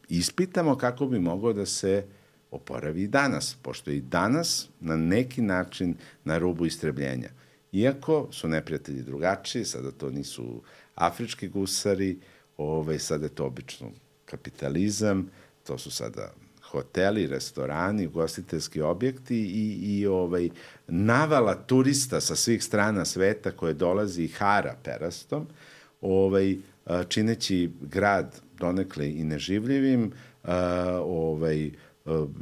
ispitamo kako bi moglo da se oporavi i danas, pošto i danas na neki način na rubu istrebljenja. Iako su neprijatelji drugačiji, sada to nisu afrički gusari, ovaj, sada je to obično kapitalizam, to su sada hoteli, restorani, ugostiteljski objekti i, i ovaj, navala turista sa svih strana sveta koje dolazi i hara Perastom, ovaj, čineći grad donekle i neživljivim, ovaj,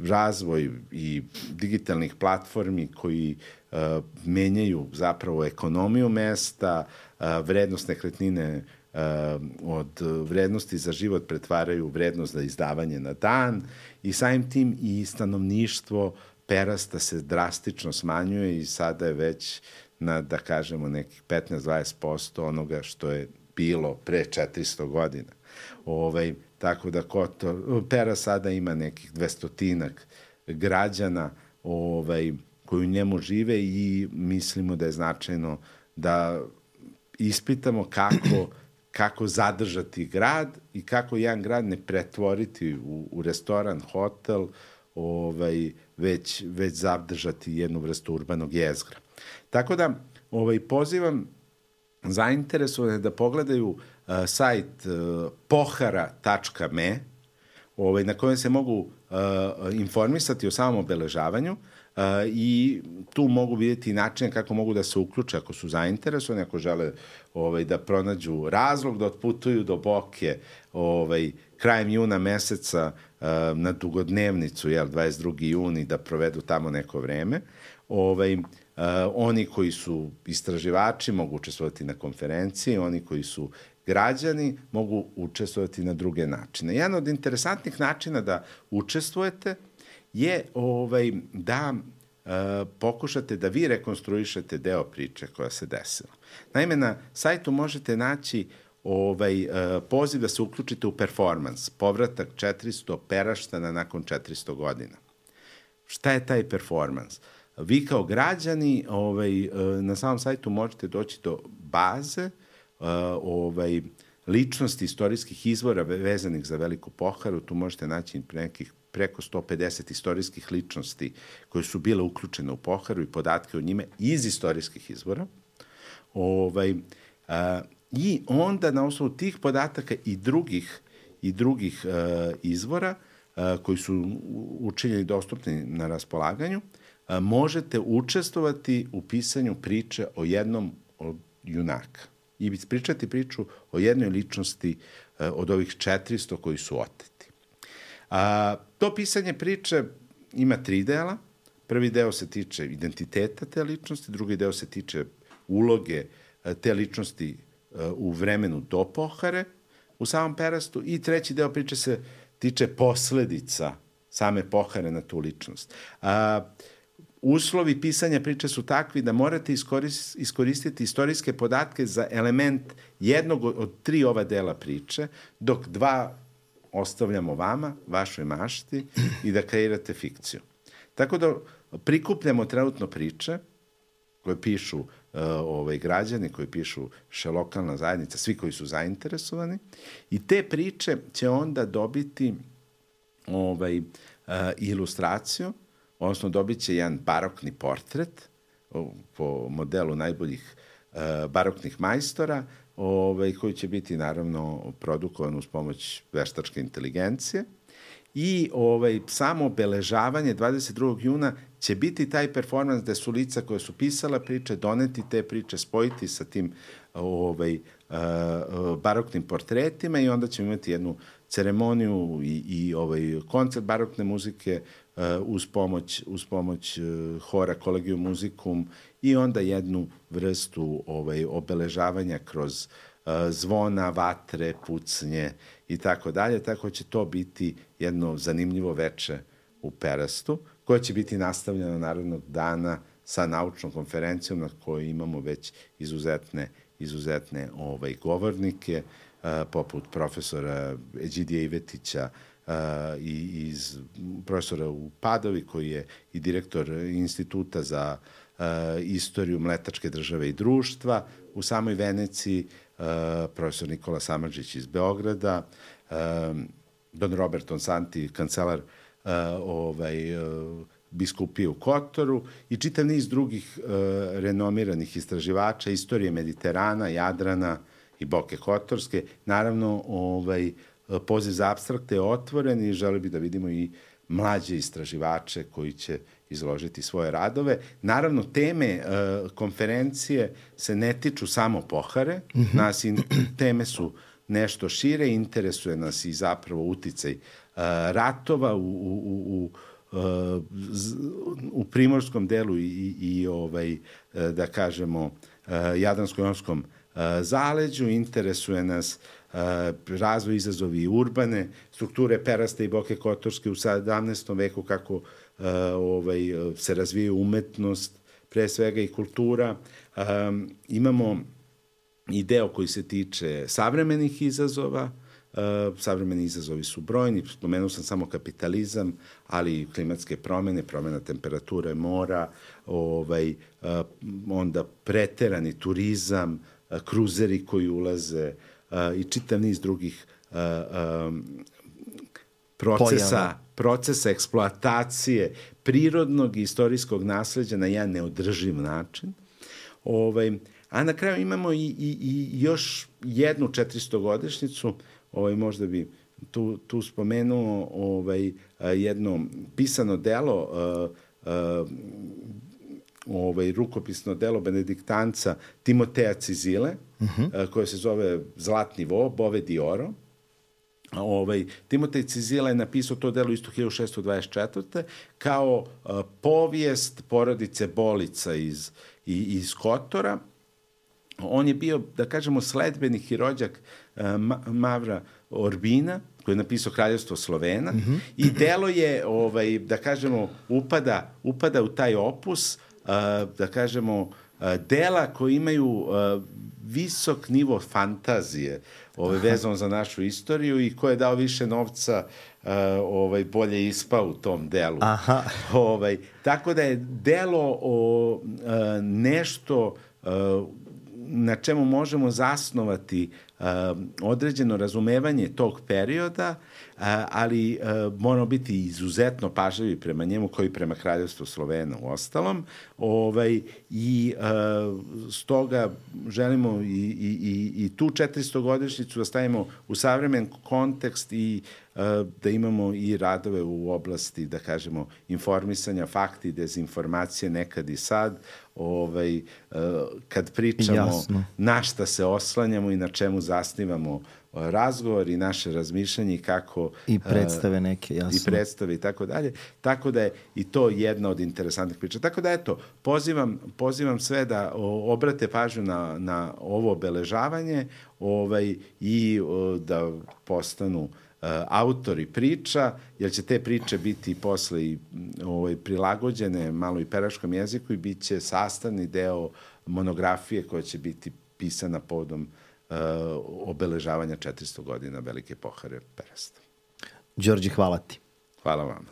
razvoj i digitalnih platformi koji uh, menjaju zapravo ekonomiju mesta, uh, vrednost nekretnine uh, od vrednosti za život pretvaraju vrednost za izdavanje na dan i samim tim i stanovništvo Perasta se drastično smanjuje i sada je već na, da kažemo, nekih petnaest do dvadeset posto onoga što je bilo pre četiristo godina. Ovaj, tako da Kotor, Pera sada ima nekih dvestotinak građana ovaj, koji u njemu žive i mislimo da je značajno da ispitamo kako, kako zadržati grad i kako jedan grad ne pretvoriti u, u restoran, hotel, ovaj, već, već zadržati jednu vrstu urbanog jezgra. Tako da ovaj, pozivam zainteresovane da pogledaju uh, sajt uh, pohara tačka me, ovaj, na kojem se mogu uh, informisati o samom obeležavanju uh, i tu mogu vidjeti načine kako mogu da se uključe ako su zainteresovani, ako žele ovaj, da pronađu razlog da otputuju do Boke ovaj, krajem juna meseca uh, na dugodnevnicu, jel, dvadeset drugi juni, da provedu tamo neko vreme. Ovaj, Uh, oni koji su istraživači mogu učestvovati na konferenciji, oni koji su građani mogu učestvovati na druge načine. Jedan od interesantnih načina da učestvujete je ovaj, da uh, pokušate da vi rekonstruišete deo priče koja se desila. Naime, na sajtu možete naći ovaj, uh, poziv da se uključite u performans, povratak četiristo Peraštana nakon četiristo godina. Šta je taj performans? Vi kao građani ovaj, na samom sajtu možete doći do baze ovaj, ličnosti istorijskih izvora vezanih za Veliku Poharu. Tu možete naći nekih preko sto pedeset istorijskih ličnosti koje su bile uključene u Poharu i podatke o njime iz istorijskih izvora. Ovaj, a, I onda na osnovu tih podataka i drugih, i drugih a, izvora a, koji su učinjeni dostupni na raspolaganju, možete učestvovati u pisanju priče o jednom od junaka i ispričati priču o jednoj ličnosti od ovih četiristo koji su oteti. A, to pisanje priče ima tri dela. Prvi deo se tiče identiteta te ličnosti, drugi deo se tiče uloge te ličnosti u vremenu do Pohare u samom Perastu i treći deo priče se tiče posledica same Pohare na tu ličnost. A, Uslovi pisanja priče su takvi da morate iskoristiti istorijske podatke za element jednog od tri ova dela priče, dok dva ostavljamo vama, vašoj mašti i da kreirate fikciju. Tako da prikupljamo trenutno priče koje pišu uh, ovaj, građani, koje pišu še lokalna zajednica, svi koji su zainteresovani. I te priče će onda dobiti ovaj, uh, ilustraciju, odnosno dobit će jedan barokni portret po modelu najboljih uh, baroknih majstora, ovaj, koji će biti naravno produkovan uz pomoć veštačke inteligencije. I ovaj, samo obeležavanje dvadeset drugog juna će biti taj performans gde su lica koje su pisala priče, doneti te priče, spojiti sa tim ovaj, uh, baroknim portretima i onda ćemo imati jednu ceremoniju i, i ovaj, koncert barokne muzike uh, uz pomoć, uz pomoć uh, hora Collegium Musicum i onda jednu vrstu ovaj, obeležavanja kroz uh, zvona, vatre, pucnje i tako dalje, tako će to biti jedno zanimljivo veče u Perastu, koje će biti nastavljeno narednog dana sa naučnom konferencijom na kojoj imamo već izuzetne, izuzetne ovaj, govornike, uh, poput profesora Eđidija Ivetića uh, i iz profesora u Padovi, koji je i direktor Instituta za uh, istoriju mletačke države i društva u samoj Veneciji, uh, profesor Nikola Samardžić iz Beograda, uh, don Robert Onsanti, kancelar uh, ovaj, uh, biskupije u Kotoru i čitav niz drugih uh, renomiranih istraživača istorije Mediterana, Jadrana i Boke Kotorske. Naravno, ovaj, poziv za apstrakte je otvoren i želi bi da vidimo i mlađe istraživače koji će izložiti svoje radove. Naravno, teme uh, konferencije se ne tiču samo Pohare. Mm-hmm. Nas in, teme su nešto šire, interesuje nas i zapravo uticaj uh, ratova u, u, u, u, u primorskom delu i, i, i ovaj, da kažemo, uh, Jadransko-jonskom uh, zaleđu. Interesuje nas uh, razvoj, izazovi urbane strukture Perasta i Boke Kotorske u sedamnaestom veku, kako uh, ovaj, se razvijaju umetnost, pre svega i kultura. Um, imamo i deo koji se tiče savremenih izazova. Uh, savremeni izazovi su brojni, spomenuo sam samo kapitalizam, ali i klimatske promene, promena temperature mora, ovaj, uh, onda preterani turizam, uh, kruzeri koji ulaze uh, i čitav niz drugih uh, um, procesa, Pojava. procesa eksploatacije prirodnog i istorijskog nasleđa na jedan neodrživ način. Ovaj, a na kraju imamo i, i, i još jednu četiristogodišnjicu. Ovaj, možda bi tu, tu spomenuo ovaj, jedno pisano delo, uh, uh, ovaj, rukopisno delo benediktanca Timoteja Cizile, uh-huh. uh, koje se zove Zlatni vo, Bove di oro. Ovaj, Timotej Cizila je napisao to delo isto hiljadu šesto dvadeset četvrte kao uh, povijest porodice Bolica iz, i, iz Kotora. On je bio, da kažemo, sledbenik i rođak uh, Mavra Orbina, koji je napisao Kraljevstvo Slovena, mm-hmm. i delo je, ovaj, da kažemo, upada, upada u taj opus, uh, da kažemo, uh, dela koji imaju uh, visok nivo fantazije, ovaj, vezano za našu istoriju i ko je dao više novca, uh, ovaj, bolje ispao u tom delu. Aha. Ovaj, tako da je delo o uh, nešto uh, na čemu možemo zasnovati uh, određeno razumevanje tog perioda, uh, ali uh, moramo biti izuzetno pažljivi prema njemu, koji prema Kraljevstvu Slovena u ostalom. Ovaj, I uh, stoga želimo i, i, i, i tu četiristogodišnjicu da stavimo u savremen kontekst i uh, da imamo i radove u oblasti, da kažemo, informisanja, fakti, dezinformacije, nekad i sad, ovaj, uh, kad pričamo Jasno. na šta se oslanjamo i na čemu zasnivamo razgovor i naše razmišljanje i kako... I predstave neke, jasno. I predstave i tako dalje. Tako da je i to jedna od interesantnih priča. Tako da, eto, pozivam, pozivam sve da obrate pažnju na, na ovo obeležavanje ovaj, i o, da postanu uh, autori priča, jer će te priče biti posle i ovaj, prilagođene malo i peraškom jeziku i bit će sastavni deo monografije koja će biti pisana povodom Uh, obeležavanja četiristo godina Velike pohare Perasta. Đorđe, hvala ti. Hvala vama.